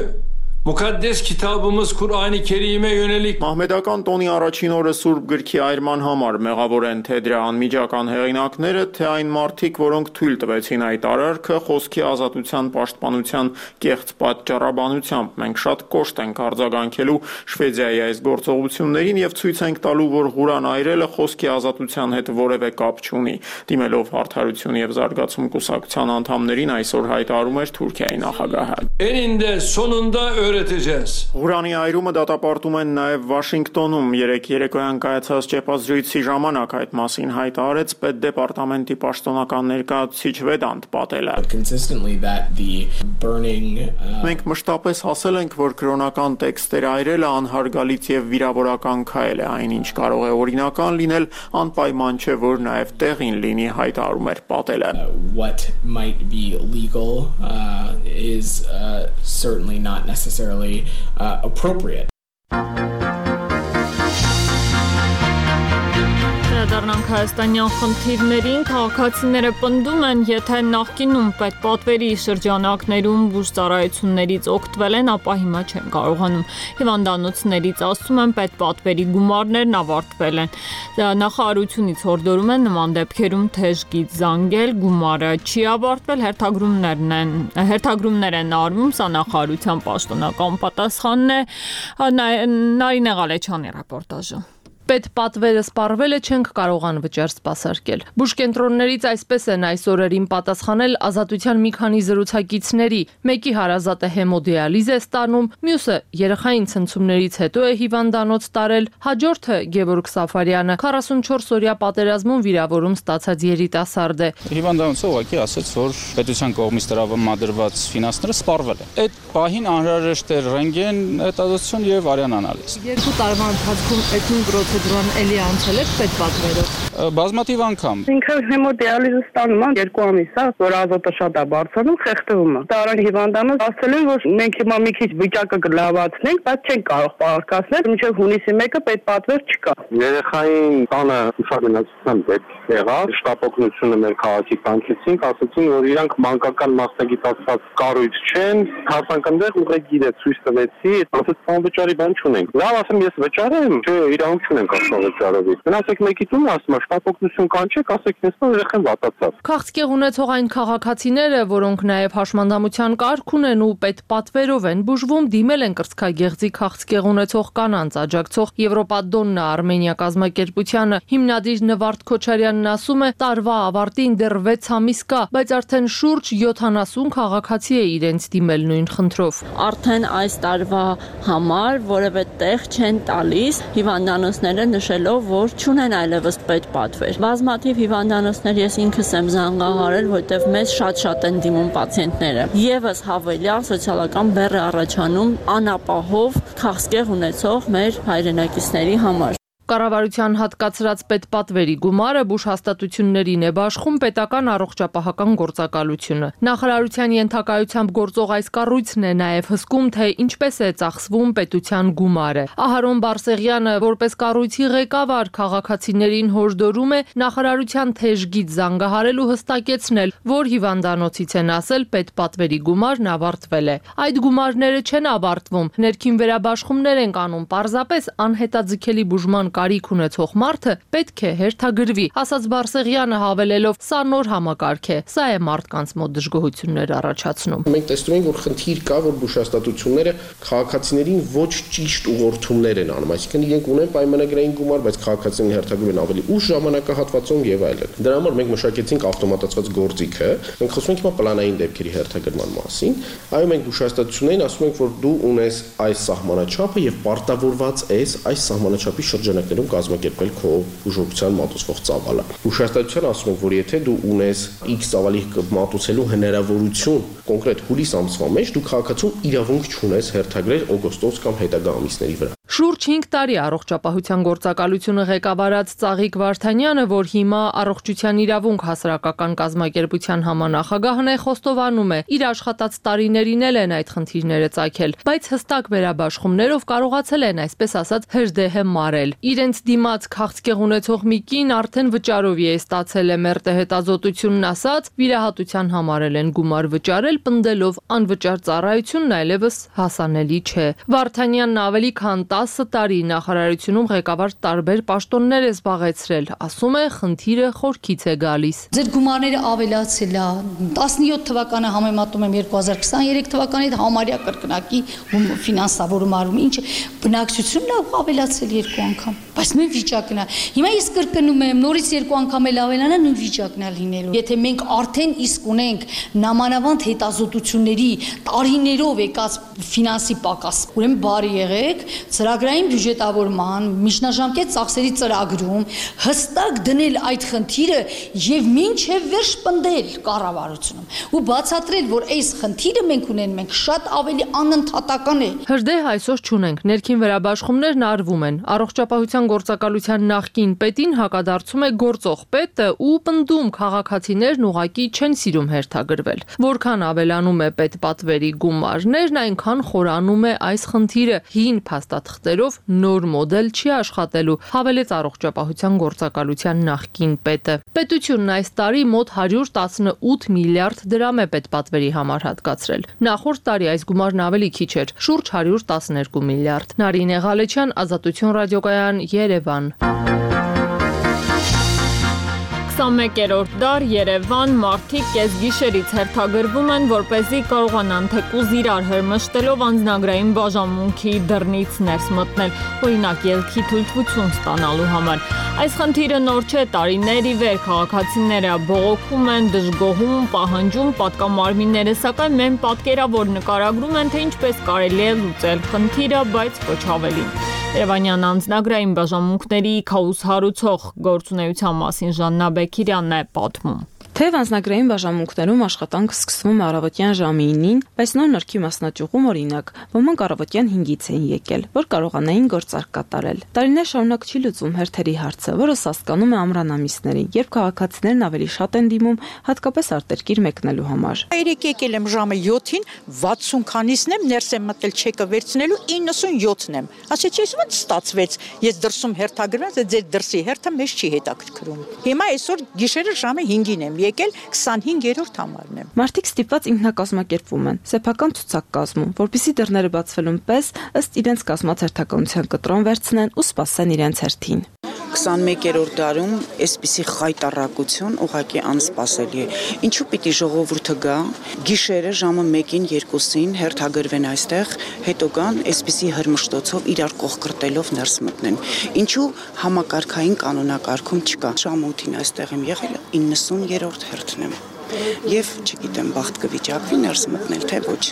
Mukaddes kitabımız Kur'an-ı Kerim'e yönelik Մահմեդական տոնի առաջին օրը Սուրբ գրքի այրման համար մեղավոր են թե դրա անմիջական հեղինակները, թե այն մարդիկ, որոնք թույլ տվեցին այդ արարքը խոսքի ազատության պաշտպանության կեղծ պատճառաբանությամբ։ Մենք շատ կոշտ ենք արձագանքելու Շվեդիայի այս գործողություններին եւ ցույց ենք տալու, որ Ղուրան այրելը խոսքի ազատության հետ որևէ կապ չունի։ Դիմելով Արդարություն եւ Զարգացում կուսակցության անդամներին այսօր հայտարարում էր Թուրքիայի նախագահը։ eninde sonunda öğreteceğiz. Ղուրանի այրումը դատապարտում են նաև Վաշինգտոնում երեկոյան կայացած ճեպազրույցի ժամանակ այդ մասին հայտարարեց Պետդեպարտամենտի պաշտոնական ներկայացուցիչ Վեդանտ Պատելը։ Մենք մշտապես ասել ենք, որ կրոնական տեքստեր այրելը անհարգալից եւ վիրավորական քայլ է, այնինչ կարող է օրինական լինել, անպայման չէ, որ նաև տեղին լինի, հայտարարում էր Պատելը։ What might be legal is certainly not necessarily appropriate. Դառնանք հայաստանյան խնդիրներին, քաղաքացիները պնդում են, եթե նախկինում պետպատվերի շրջանակներում բուժծառայություններից օգտվել են, ապա հիմա չեն կարողանում։ Հիվանդանոցներից ասում են, պետպատվերի գումարներն ավարտվել են։ Նախարարությունից հորդորում են նման դեպքերում թեժգից զանգել, գումարը չի ավարտվել, հերթագրումներ են արվում, սա նախարարության պաշտոնական պատասխանն է։ Նարինե Ղալեչյանի ռեպորտաժը։ Պետպատվերը սպառվել չենք կարողան վճար սպասարկել։ Բուժկենտրոններից այսպես են այս օրերին պատասխանել Ազատության մի քանի զրուցակիցների։ Մեկի հարազատը հեմոդիալիզ է ստանում, մյուսը երեխային ցնցումներից հետո է հիվանդանոց տարել, հաջորդը Գևորգ Սաֆարյանը 44-օրյա պատերազմում վիրավորում ստացած երիտասարդ է։ Հիվանդանոցը ուղղակի ասաց, որ պետության կողմից տրամադրված ֆինանսները սպառվել են։ Այդ պահին անհրաժեշտ է ռենտգեն հետազոտություն եւ արյան անալիզ։ 2 տարվա ընթացքում այդ նույն պրոցեդուրան էլի անցել եք պետպատվերով։ Բազմաթիվ անգամ։ Ինքը հեմոդիալիզը ստանում է 2 ամիս, որ ազոտը շատ է բարձրանում, խեղդվում է։ Տարան հիվանդանոց ասել են, որ մենք հիմա մի քիչ վիճակը կլավացնենք, բայց չենք կարող պահարկացնել, մինչև հունիսի 1-ը պետպատվեր չկա։ Երեխային տանը ուսումնասիրության պետք եղավ, շտապօգնությունը մեր քաղաքի կանչեցինք, ասացին, որ իրանք մանկական մասնագիտացված կառույց չեն, հարցանքնդեղ ուղեգիր է ցույց տվեցի, ասաց անվճարի բան չունենք։ Լավ, ասեմ, ես վճարեմ, չէ, իրավունք չունեմ ենք ասում վճարովից։ Գնացեք մեկի տուն, ասում է շտապօգնություն կանչեք, ասեք նստո երեխան վատացավ։ Քաղցկեղ ունեցող այն քաղաքացիները, որոնք նաև հաշմանդամության կարգ ունեն ու պետպատվերով են բուժվում, դիմել են կրծքագեղձի քաղցկեղ ունեցող կանանց աջակցող Եվրոպադոննա Արմենիա կազմակերպությանը։ Հիմնադիր Նվարդ Քոչարյանն ասում է, տարվա ավարտին դեռ 6 ամիս կա, բայց արդեն շուրջ 70 քաղաքացի է իրենց դիմել նույն խնդրով։ Արդեն այս տարվա համար որևէ տեղ չեն տալիս հիվանդանոցները նշելով, որ չունեն այլևս պետպատվեր։ Բազմաթիվ հիվանդանոցներ ես ինքս եմ զանգահարել, որտեղ մեզ շատ են դիմում պացիենտները։ Եվս հավելյալ սոցիալական բեռ է առաջանում անապահով քաղցկեղ ունեցող մեր հայրենակիցների համար։ Կառավարության հատկացրած պետպատվերի գումարը բուժհաստատություններին է բաշխում պետական առողջապահական գործակալությունը։ Նախարարության ենթակայությամբ գործող այս կառույցն է նաև հսկում, թե ինչպես է ծախսվում պետության գումարը։ Ահարոն Բարսեղյանը, որպես կառույցի ղեկավար, քաղաքացիներին հորդորում է նախարարության թեժգից զանգահարել ու հստակեցնել, որ հիվանդանոցից են ասել պետպատվերի գումարն ավարտվել է։ Այդ գումարները չեն ավարտվում, ներքին վերաբաշխումներ են անում, պարզապես անհետաձգելի բուժման կարիք ունեցող մարդը պետք է հերթագրվի, ասաց Բարսեղյանը հավելելով, սա նոր համակարգ է, սա է մարդկանց մոտ դժգոհություններ առաջացնում։ Մենք տեսնում ենք, որ խնդիր կա, որ բուժհաստատությունները քաղաքացիներին ոչ ճիշտ ուղղորդումներ են անում, այսինքն իրենք ունեն պայմանագրային գումար, բայց քաղաքացիներին հերթագրում են ավելի ուշ ժամանակահատվածում եւ այլն։ Դրա համար մենք մշակեցինք ավտոմատացված գործիքը, մենք խոսում ենք հիմա պլանային դեպքերի հերթագրման մասին, այո մենք բուժհաստատություններին ասում ենք, որ դու ունես այս սահմանաչափը եւ պարտավորված ես այս սահմանաչափի շրջանակներում կազմակերպել քո բուժօգնության մատուցվող ծավալը։ Բուժհաստատության ասում ենք, որ եթե դու ունես X ծավալի մատուցելու հնարավորություն կոնկրետ հուլիս ամսվա մեջ, դու քաղաքացուն իրավունք չունես հերթագրել օգոստոս կամ հետագա ամիսների վրա։ Շուրջ 5 տարի առողջապահության գործակալությունը ղեկավարած Ծաղիկ Վարդանյանը, որ հիմա առողջության իրավունք հասարակական կազմակերպության համանախագահն է, խոստովանում է, իր աշխատած տարիներին էլ են այդ խնդիրները ծագել, բայց հստակ վերաբաշխումներով կարողացել են, այսպես ասած, հրդեհը մարել։ Իրենց դիմաց քաղցկեղ ունեցող մի կին արդեն վճարովի է ստացել է մերտե հետազոտությունն ասած, վիրահատության համարել են գումար վճարել, պնդելով անվճար ծառայությունն այլևս հասանելի չէ։ Վարդանյանն ավելի քան 10 տարի նախարարությունում ղեկավար տարբեր պաշտոններ է զբաղեցրել, ասում է, խնդիրը խորքից է գալիս։ Ձեր գումարները ավելացել է, 17 թվականը համեմատում եմ 2023 թվականի հետ համարյա կրկնակի ֆինանսավորում արվում, ինչը բնակչությունն է ավելացել 2 անգամ, բայց նույն վիճակն է։ Հիմա ես կրկնում եմ, նորից 2 անգամ էլ ավելանա, նույն վիճակն է լինելու։ Եթե մենք արդեն իսկ ունենք նամանավանդ հետազոտությունների տարիներով եկած ֆինանսի պակաս, ուրեմն բարի եղեք, ծրագրային բյուջետավորման, միջնաժամկետ ծախսերի ծրագրում հստակ դնել այդ խնդիրը եւ մինչեւ վերջ պնդել կառավարությունում ու բացատրել, որ այս խնդիրը մենք ունենք, մենք շատ ավելի անընդհատական է։ Հրդեհ այսօր չունենք, ներքին վերաբաշխումներն արվում են։ Առողջապահության գործակալության նախկին պետին հակադարձում է գործող պետը ու պնդում քաղաքացիներն ուղակի չեն սիրում հերթագրվել։ Որքան ավելանում է պետպատվերի գումարներն, այնքան խորանում է այս խնդիրը։ Հին փաստաթղթերով նոր մոդել չի աշխատելու, հավելեց առողջապահության գործակալության նախկին պետը։ Պետությունն այս տարի մոտ 118 միլիարդ դրամ է պետպատվերի համար հատկացրել։ Նախորդ տարի այս գումարն ավելի քիչ էր, շուրջ 112 միլիարդ։ Նարինե Ղալեչյան, Ազատություն ռադիոկայան, Երևան։ 21-րդ դար Երևան մարդիկ կեսգիշերից հերթագրվում են, որպեսզի կարողանան թեկուզ իրար հրմշտելով անձնագրային բաժանմունքի դռնից ներս մտնել, օրինակ ելքի թույլտվություն ստանալու համար։ Այս խնդիրը նոր չէ, տարիներ ի վեր քաղաքացիները բողոքում են, դժգոհում, պահանջում պատկամարմինները, սակայն մեն պատկերավոր նկարագրում են, թե ինչպես կարելի է լուծել խնդիրը, բայց ոչ ավելին։ Երևանյան անձնագրային բաժանմունքների քաոս հարուցող գործունեության մասին Ժաննա Բեկիրյանն է պատմում։ Թեև անձնագրային բաժանմունքներում աշխատանքը սկսվում է առավոտյան ժամի 9-ին, բայց նոր նորքի մասնաճյուղում օրինակ ոմանք առավոտյան 5-ից էին եկել, որ կարողանային գործարք կատարել։ Տարիներ շարունակ չի լուծվում հերթերի հարցը, որը սաստկանում է ամռան ամիսներին, երբ քաղաքացիներն ավելի շատ են դիմում, հատկապես արտերկիր մեկնելու համար։ Երեք եկել եմ ժամը 7-ին, 60 քանիսն եմ, ներս եմ մտել չեկը վերցնելու, 97-ն եմ։ Ասեցի, ո՞նց ստացվեց։ Ես դրսում հերթագրված, ձեր դրսի հերթը մեզ չի հետաքրքրում։ Հիմա այսօր գիշերը ժամը 5-ին եմ եկել 25-րդ համարն եմ։ Մարդիկ ստիպված ինքնակազմակերպվում են, սեփական ցուցակ կազմում, որպեսզի դռները բացվելուն պես ըստ իրենց կազմած հերթականության կտրոն վերցնեն ու սպասեն իրենց հերթին։ 21-րդ դարում այսպիսի խայտառակություն ուղղակի անսպասելի է։ Ինչու պիտի ժողովուրդը գա, գիշերը ժամը 1-ին, 2-ին հերթագրվեն այստեղ, հետո գան այսպիսի հրմշտոցով իրար կողքրտելով ներս մտնեն։ Ինչու համակարգային կանոնակարգում չկա։ Ժամը 8-ին այստեղ եմ եղել, 90-րդ հերթն եմ։ Եվ չգիտեմ, բախտ կվիճակվի ներս մտնել, թե ոչ։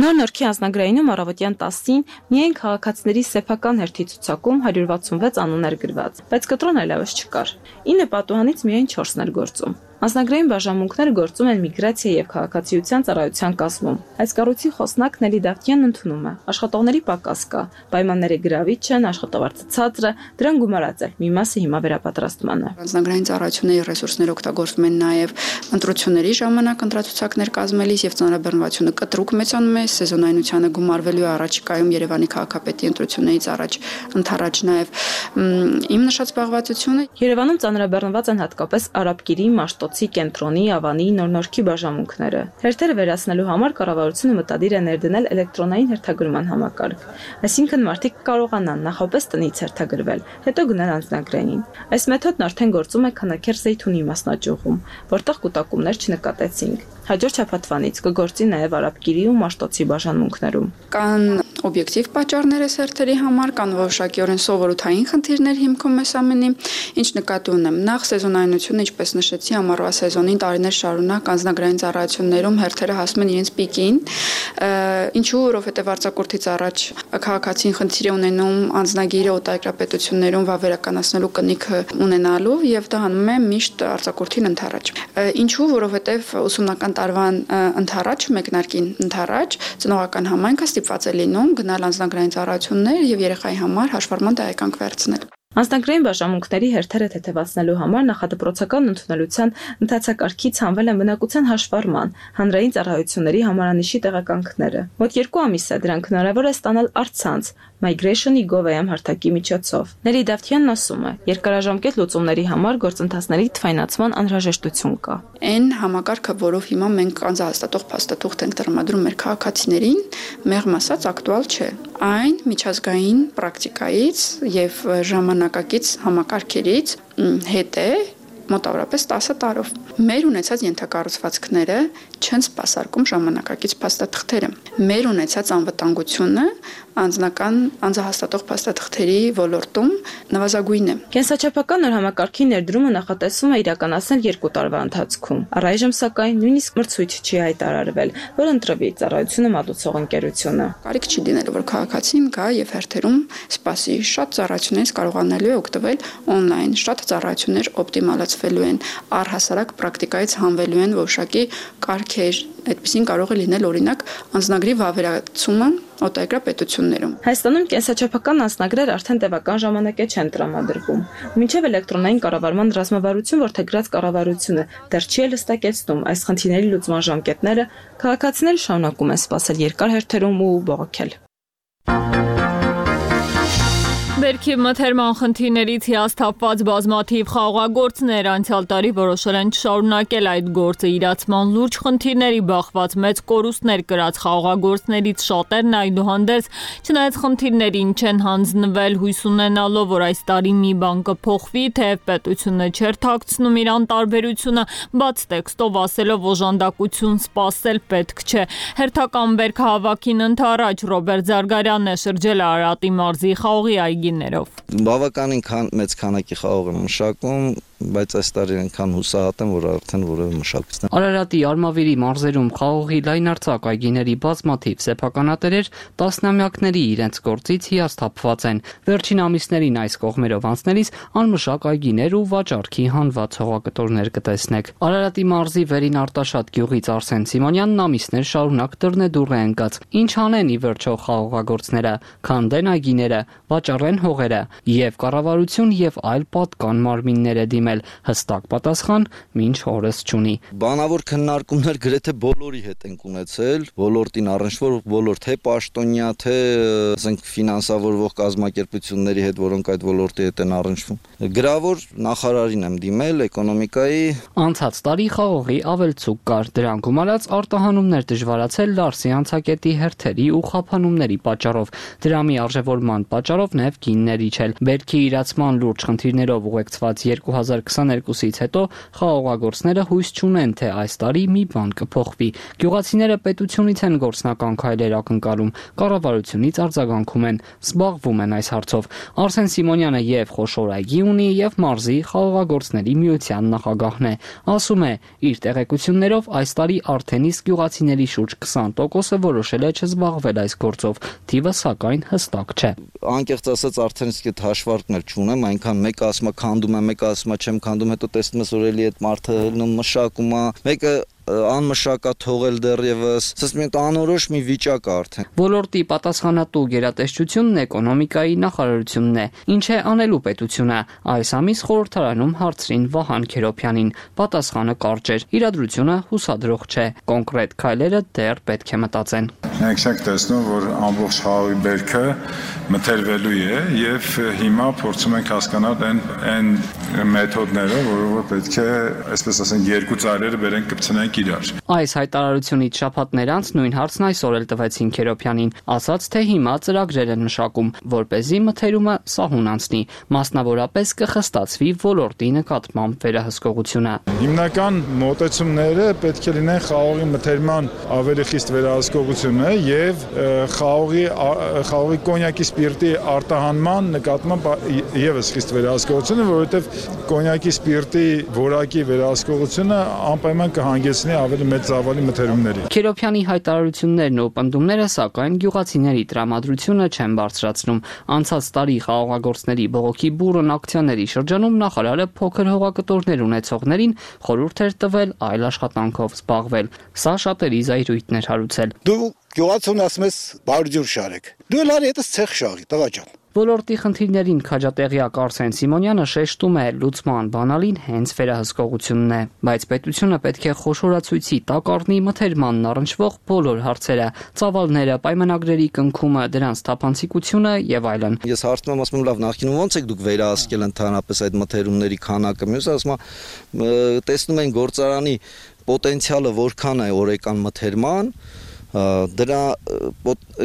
Նոր Նորքի անձնագրայինում առավոտյան 10-ին միայն քաղաքացիների սեփական հերթի ցուցակում 166 անուն էր գրված, բայց կտրոն այլևս չկար։ 9 պատուհանից միայն 4-ն էր գործում։ Անձնագրային բաժանմունքները գործում են միգրացիա եւ քաղաքացիության ծառայության կազմում։ Այս կառույցի խոսնակ Նելի Դավթյանն ընդունում է. աշխատողների պակաս կա, պայմանները գրավիչ են, աշխատավարձը ցածր է, դրան գումարած է։ Մի մասը հիմա վերապատրաստման է։ Անձնագրային ծառայությունների ռեսուրսները օգտագործվում են նաեւ ընտրությունների ժամանակ ընտրացուցակներ կազմելիս եւ ծանրաբեռնվածությունը կտրուկ մեծանում է, սեզոնայնությանը գումարվելու առաջիկայում Երևանի քաղաքապետի ընտրություններից առաջ ընդառաջ նաեւ իմ նշած զբաղվածությունը։ Երևանում ծանրաբեռնված են հատկապես Արաբկիրի, Մաշտոցի, Կենտրոնի, Ավանի, Նոր Նորքի բաժանմունքները։ Հերթերը վերացնելու համար կառավարությունը մտադիր է ներդնել էլեկտրոնային հերթագրման համակարգ։ Այսինքն մարդիկ կարողանան նախապես տնից հերթագրվել, հետո գնալ անձնագրային։ Այս մեթոդն արդեն գործում է Քանաքեռ Զեյթունի մասնաճյուղում, որտեղ կուտակումներ չնկատեցինք։ Հաջորդ շաբաթվանից կգործի նաև Արաբկիրի ու Մաշտոցի բաժանմունքներում։ Կան օբյեկտիվ պատճառներ այս հերթերի համար, կան որոշակիորեն սովորութային խնդիրներ հիմքում այս ամենի, ինչ նկատի ունեմ։ Նախ սեզոնայնությունը, ինչպես նշեցի, ամառվա սեզոնին տարիներ շարունակ անձնագրային ծառայություններում հերթերը հասնում են իրենց պիկին, ինչու, որովհետև արձակուրդից առաջ քաղաքացին խնդիր է ունենում անձնագիրը օտարերկրապետություններում վավերականացնելու կնիքը ունենալու եւ դա հանում է միշտ արձակուրդին ընդառաջ։ Ինչու, որովհետև ուսումնական տարվան ընդառաջ, մեկնարկին ընդառաջ ծնողական համայնքը ստիպված է լինում գնալ անձնագրային ծառայություններ եւ երեխայի համար հաշվառման տեղեկանք վերցնել։ Անձնագրային բաժանմունքների հերթերը թեթևացնելու համար նախադպրոցական ընդունելության ընթացակարգից հանվել են բնակության հաշվառման, հանրային ծառայությունների համարանիշի տեղեկանքները։ Մոտ 2 ամիս է դրանք հնարավոր է ստանալ առցանց Migration.gov.am հարթակի միջոցով։ Նելի Դավթյանն ասում է, երկարաժամկետ լուծումների համար գործընթացների թվայնացման անհրաժեշտություն կա։ Այն համակարգը, որով հիմա մենք անձահաստատող փաստաթուղթ ենք տրամադրում մեր քաղաքացիներին, մեղմ ասած ակտուալ չէ։ Այն միջազգային պրակտիկայից եւ ժամանակակից համակարգերից հետ է մոտավորապես 10 տարով։ Մեր ունեցած ենթակառուցվածքները չեն սպասարկում ժամանակակից փաստաթղթերը։ Մեր ունեցած անվտանգությունը անձնական անձահաստատող փաստաթղթերի ոլորտում նվազագույն է։ Կենսաչափական նոր համակարգի ներդրումը նախատեսվում է իրականացնել 2 տարվա ընթացքում։ Առայժմ սակայն նույնիսկ մրցույթ չի հայտարարվել, որ ընտրվի ծառայությունը մատուցող ընկերությունը։ Կարիք չի դինել, որ քաղաքացին գա եւ հերթերում սպասի, շատ ծառայություններից կարողանալու է օգտվել on-line, շատ ծառայություններ օպտիմալացվելու են, առհասարակ պրակտիկայից հանվելու են որոշակի կարգեր, այդպեսին կարող է լինել օրինակ անձնագրի վավերացումը օտարերկրապետություններում։ Հայաստանում կենսաչափական անձնագրեր արդեն տևական ժամանակ չեն տրամադրվում։ Մինչև էլեկտրոնային կառավարման ռազմավարություն որդեգրած կառավարությունը դեռ չի հստակեցնում այս խնդիրների լուծման ժամկետները, քաղաքացիները շարունակում են սպասել երկար հերթերում ու բողոքել։ Բերքի մթերման խնդիրներից հիասթափված բազմաթիվ խաղաղագործներ անցյալ տարի որոշել են չշարունակել այդ գործը իրացման լուրջ խնդիրների բախված մեծ կորուստներ կրած խաղաղագործներից շատերն այդուհանդերձ չնայած խնդիրներին չեն հանձնվել հույս ունենալով, որ այս տարի մի բան կփոխվի, թեև պետությունը չէր թաքցնում իր անտարբերությունը, բաց տեքստով ասելով օժանդակություն սպասել պետք չէ։ Հերթական բերքահավաքին ընդառաջ Ռոբերտ Զարգարյանն է շրջել Արարատի մարզի խաղողի այգի Բավականին մեծ քանակի խաղող եմ մշակում, բայց այս տարի այնքան հուսահատ եմ, որ արդեն որևէ մշակվեց։ Արարատի Արմավիրի մարզերում խաղողի լայնարձակ այգիների բազմաթիվ սեփականատերեր տասնամյակների իրենց գործից հիասթափված են։ Վերջին ամիսներին այս կողմերով անցնելիս անմշակ այգիներ ու վաճառքի հանված հողակտորներ կտեսնեք։ Արարատի մարզի Վերին Արտաշատ գյուղից Արսեն Սիմոնյանն ամիսներ շարունակ դռնեդուռ է ընկած։ Ինչ անեն ի վերջո խաղողագործները, քանդեն այգիները, վաճառեն հողերը եւ կառավարություն եւ այլ պատկան մարմինները դիմել կազմել, հստակ պատասխան մինչ օրս չունի։ Բանավոր քննարկումներ գրեթե բոլորի հետ ենք ունեցել, ոլորտին առնչվող ոլորտ թե պաշտոնյա, թե ասենք ֆինանսավորվող կազմակերպությունների հետ, որոնք այդ ոլորտի հետ են առնչվում։ Գրավոր նախարարին եմ դիմել, էկոնոմիկայի։ Անցած տարի խաղողի ավելցուկ կար, դրան գումարած արտահանումներ դժվարացել Լարսի անցակետի հերթերի ու խափանումների պատճառով, դրամի արժևորման պատճառով նաև գինների չել։ Բերքի իրացման լուրջ խնդիրներով ուղեկցված 2022-ից հետո խաղողագործները հույս չունեն, թե այս տարի մի բան կփոխվի։ Գյուղացիները պետությունից են գործնական քայլեր ակնկալում, կառավարությունից արձագանքում են, զբաղվում են այս հարցով։ Արսեն Սիմոնյանը եւ խոշոր այգի ունի եւ մարզի խաղողագործների միության նախագահն է։ Ասում է, իր տեղեկություններով այս տարի արդեն իսկ գյուղացիների շուրջ 20%-ը որոշել է չզբաղվել այս գործով, թիվը սակայն հստակ չէ։ Անկեղծ ասած արդեն իսկ այդ հաշվարկն էլ չունեմ, այնքան մեկը ասում է քանդում եմ, մեկը ասում է չեմ քանդում, հետո տեսնում ես որ էլի այդ մարդը հելնում մշակում է, մեկը անմշակա թողել դեռևս, ասես մի անորոշ մի վիճակ է արդեն։ Ոլորտի պատասխանատու գերատեսչությունն էկոնոմիկայի նախարարությունն է։ Ինչ է անելու պետությունը։ Այս ամիս խորհրդարանում հարցրին Վահան Քերոփյանին։ Պատասխանը կարճ էր։ Իրադրությունը հուսադրող չէ։ Կոնկրետ քայլերը դեռ պետք է մտածեն։ Մենք ենք տեսնում, որ ամբողջ խաղի բերքը մթերվելու է եւ հիմա փորձում ենք հասկանալ այն մեթոդները, որով պետք է, այսպես ասենք, երկու ծայրերը բերենք կպցնենք իրար։ Այս հայտարարությունից շաբաթներ անց նույն հարցն այսօր էլ տվեցին Քերոփյանին, ասաց, թե հիմա ծրագրեր են մշակում, որպեսզի մթերումը սահուն անցնի, մասնավորապես կխստացվի ոլորտի նկատմամբ վերահսկողությունը։ Հիմնական մոտեցումները պետք է լինեն խաղողի մթերման ավելի խիստ վերահսկողությունը եւ խաղողի կոնյակի սպիրտի արտահանման նկատմամբ եւս խիստ վերահսկողությունը, որովհետեւ կոնյակի սպիրտի որակի վերահսկողությունը անպայման կհանգեցնի ավելի մեծ ծավալի մթերումների։ Քերոփյանի հայտարարություններն ու պնդումները սակայն գյուղացիների տրամադրությունը չեն բարձրացնում։ Անցած տարի խաղողագործների բողոքի բուրըն ակցիաների շրջանում նախարարը փոքր հողակտորներ ունեցողներին խորհուրդ էր տվել այլ աշխատանքով զբաղվել։ Սա շատերի զայրույթն էր հարուցել։ Դու գյուղացուն ասում ես բարդյուր շարեք։ Դու լար հետս ցեխ շաղի, տղա ջան։ Ոլորտի խնդիրներին քաջատեղյակ Արսեն Սիմոնյանը շեշտում է, լուծման բանալին հենց վերահսկողությունն է, բայց պետությունը պետք է խոշորացույցի տակ առնի մթերմանն առնչվող բոլոր հարցերը, ծավալները, պայմանագրերի կնքումը, դրանց թափանցիկությունը եւ այլն։ Ես հարցնում եմ, ասում եմ, լավ, նախկինում ո՞նց եք դուք վերահսկել ընդհանրապես այդ մթերումների քանակը։ Մյուսը ասում է, տեսնում են գործարանի պոտենցիալը որքան է օրեկան մթերման, դրա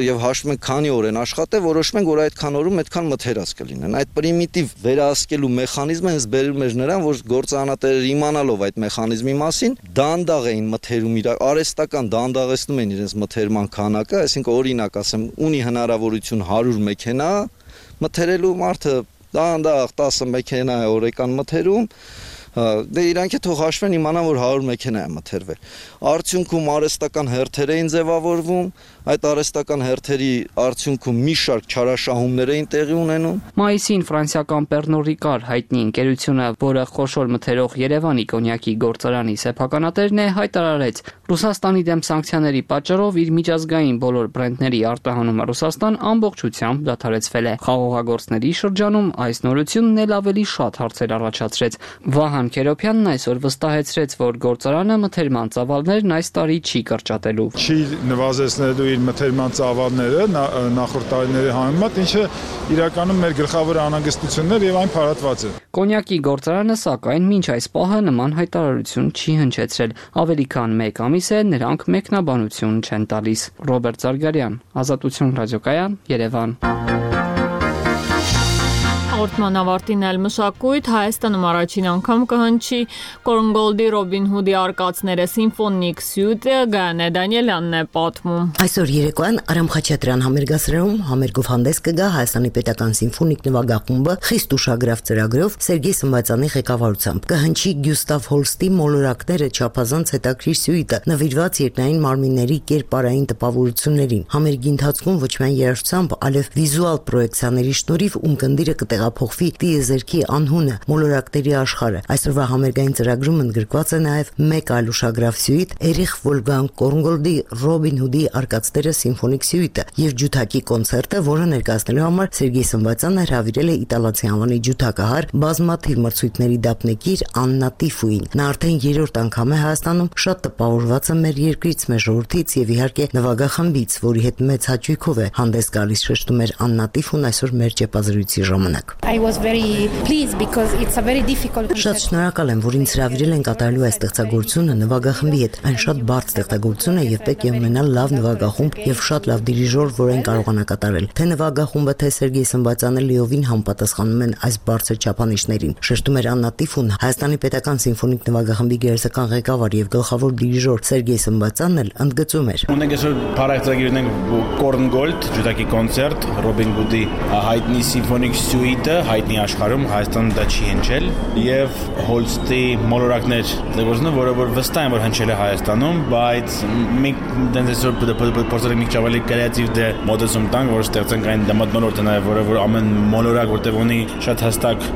եւ հաշվում ենք քանի օր են աշխատել, որոշում ենք, որ այդքան օրում այդքան մթերած կլինեն։ Այդ պրիմիտիվ վերահսկելու մեխանիզմը հենց բերում էր նրան, որ գործարանատերերը իմանալով այդ մեխանիզմի մասին, դանդաղ էին մթերում արհեստական դանդաղեցնում են իրենց մթերման քանակը, այսինքն օրինակ ասեմ, ունի հնարավորություն 100 մեքենա մթերելու մարդը դանդաղ 10 մեքենա է օրեկան մթերում, դե իրանք է թող հաշվեն իմանան, որ 100 մեքենա է մթերվել։ Արդյունքում արհեստական հերթեր էին ձևավորվում, այդ արհեստական հերթերի արդյունքում մի շարք չարաշահումներ էին տեղի ունենում։ Մայիսին ֆրանսիական Pernod Ricard հայտնի ընկերությունը, որը խոշոր մթերող Երևանի կոնյակի գործարանի սեփականատերն է, հայտարարեց, Ռուսաստանի դեմ սանկցիաների պատճառով իր միջազգային բոլոր բրենդների արտահանումը Ռուսաստան ամբողջությամբ դադարեցվել է։ Խաղողագործների շրջանում այս նորությունն էլ ավելի շատ հարցեր առաջացրեց։ Վահան Քերոփյանն այսօր վստահեցրեց, որ գործարանը մթերման ծավալներն այս տարի չի կրճատելու։ Չի նվազեցնելու իր մթերման ծավալները նախորդ տարիների համեմատ, ինչը իրականում մեր գլխավոր անհանգստությունն էր եւ այն փարատված է։ Կոնյակի գործարանը սակայն մինչ այս պահը նման հայտարարություն չի հնչեցրել։ Ավելի քան 1 ամիս է նրանք մեկնաբանություն չեն տալիս։ Ռոբերտ Զարգարյան, Ազատություն ռադիոկայան, Երևան։ Հաղորդման ավարտին էլ մշակույթ Հայաստանում առաջին անգամ կհնչի Կորնգոլդի Ռոբին Հուդի արկածները սիմֆոնիկ սյուտը Գայանե Դանիելյանն է պատմում։ Այսօր երեկոյան Արամ Խաչատրյան համերգասրահում համերգով հանդես կգա Հայաստանի պետական սիմֆոնիկ նվագախումբը խիստ ուշագրավ ծրագրով Սերգեյ Սմբատյանի ղեկավարությամբ։ Կհնչի Գյուստավ Հոլստի մոլորակները չափազանց հետաքրքիր սյուիտը նվիրված երկնային մարմինների կերպարային տպավորություններին։ Համերգի ընթացքում ոչ միայն երաժշտությամբ, այլև վիզուալ պրոյեկցիաների շնորհիվ ունկնդիրը կտեղափոխվի ապահովի տիեզերքի անհունը, մոլորակների աշխարհը։ Այսօրվա համերգային ծրագրում ընդգրկված է նաև մեկ այլ ուշագրավ սյուիտ՝ Էրիխ Վոլգանգ Կորնգոլդի Ռոբին Հուդի Արկածները սիմֆոնիկ սյուիտը եւ ջութակի կոնցերտը, որը ներկայացնելու համար Սերգեյ Սմբատյանը հրավիրել է իտալացի անվանի ջութակահար բազմաթիվ մրցույթների դափնեկիր Աննա Տիֆուին։ Նա արդեն 3-րդ անգամ է Հայաստանում, շատ տպավորված է մեր երկրից, մեր ժողովրդից եւ իհարկե նվագախմբից, որի հետ մեծ հաճույքով է հանդես գալիս, շեշտում էր Աննա Տիֆուն այսօր մեր ճեպազրույցի ժամանակ։ Շատ շնորհակալ եմ, որ ինձ հրավիրել են կատարելու այս ստեղծագործությունը նվագախմբի հետ։ Այն շատ բարդ ստեղծագործություն է եւ պետք է ունենալ լավ նվագախումբ եւ շատ լավ դիրիժոր, որ այն կարողանա կատարել։ Թե նվագախումբը, թե Սերգեյ Սմբատյանը լիովին համապատասխանում են այս բարձր չափանիշներին, շեշտում էր Աննա Տիֆուն։ Հայաստանի պետական սիմֆոնիկ նվագախմբի գերեզական ղեկավար եւ գլխավոր դիրիժոր Սերգեյ Սմբատյանն էլ ընդգծում էր։ Ունենք այսօր բարակ ունենք Կորնգոլդ ջութակի կոնցերտ, Ռոբին Հուդի հայտնի սիմֆոնիկ սյուիտը, հայտնի աշխարհում, Հայաստանում դա չի հնչել, եւ Հոլստի մոլորակներ ստեղծագործությունը, որը որ վստահ եմ որ հնչել է Հայաստանում, բայց մենք դենց այսօր փորձել ենք ճավալի կրեատիվ դե մոդելում տանք, որ ստեղծենք այն դեմոտնոլորտը նաեւ, որը ամեն մոլորակ որտեղ ունի շատ հստակ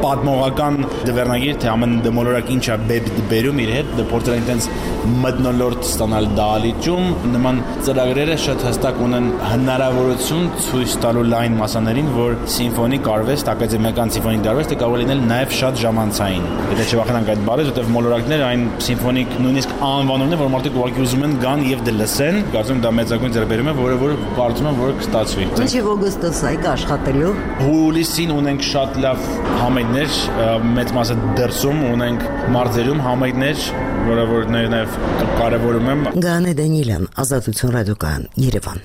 պատմողական դվերնագիր, թե ամեն մոլորակ ինչա բերում իր հետ, փորձել ենք դենց մտնոլորտ ստանալ դալիճում, նման ծրագրերը շատ հստակ ունեն հնարավորություն ցույց տալու լայն մասաներին, որ սիմֆոնիկ արվեստ, ակադեմիական սիմֆոնիկ արվեստը կարող է լինել նաև շատ ժամանցային։ Եթե չվախենանք այդ բառից, որտեղ մոլորակները այն սիմֆոնիկ նույնիսկ անվանումն է, որ մարդիկ ուղղակի ուզում են գան եւ դե լսեն, կարծում դա մեծագույն ձեռբերում է, որը կարծում եմ որ կստացվի։ Ինչի օգոստոս այ աշխատելու։ Հուլիսին ունենք շատ լավ համերգներ, մեծ մասը դրսում ունենք մարզերում համերգներ, որը որ նաև կարևորում եմ։ Գանե Դանիելյան, Ազատություն ռադիոկայան, Երևան։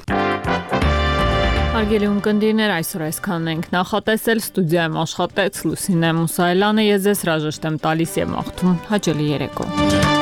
Հարգելի ունկնդիրներ, այսօր այսքանն ենք նախատեսել, ստուդիայում աշխատեց Լուսինե Մուսայելյանը, ես ձեզ հրաժեշտ եմ տալիս եւ մաղթում հաճելի երեկո։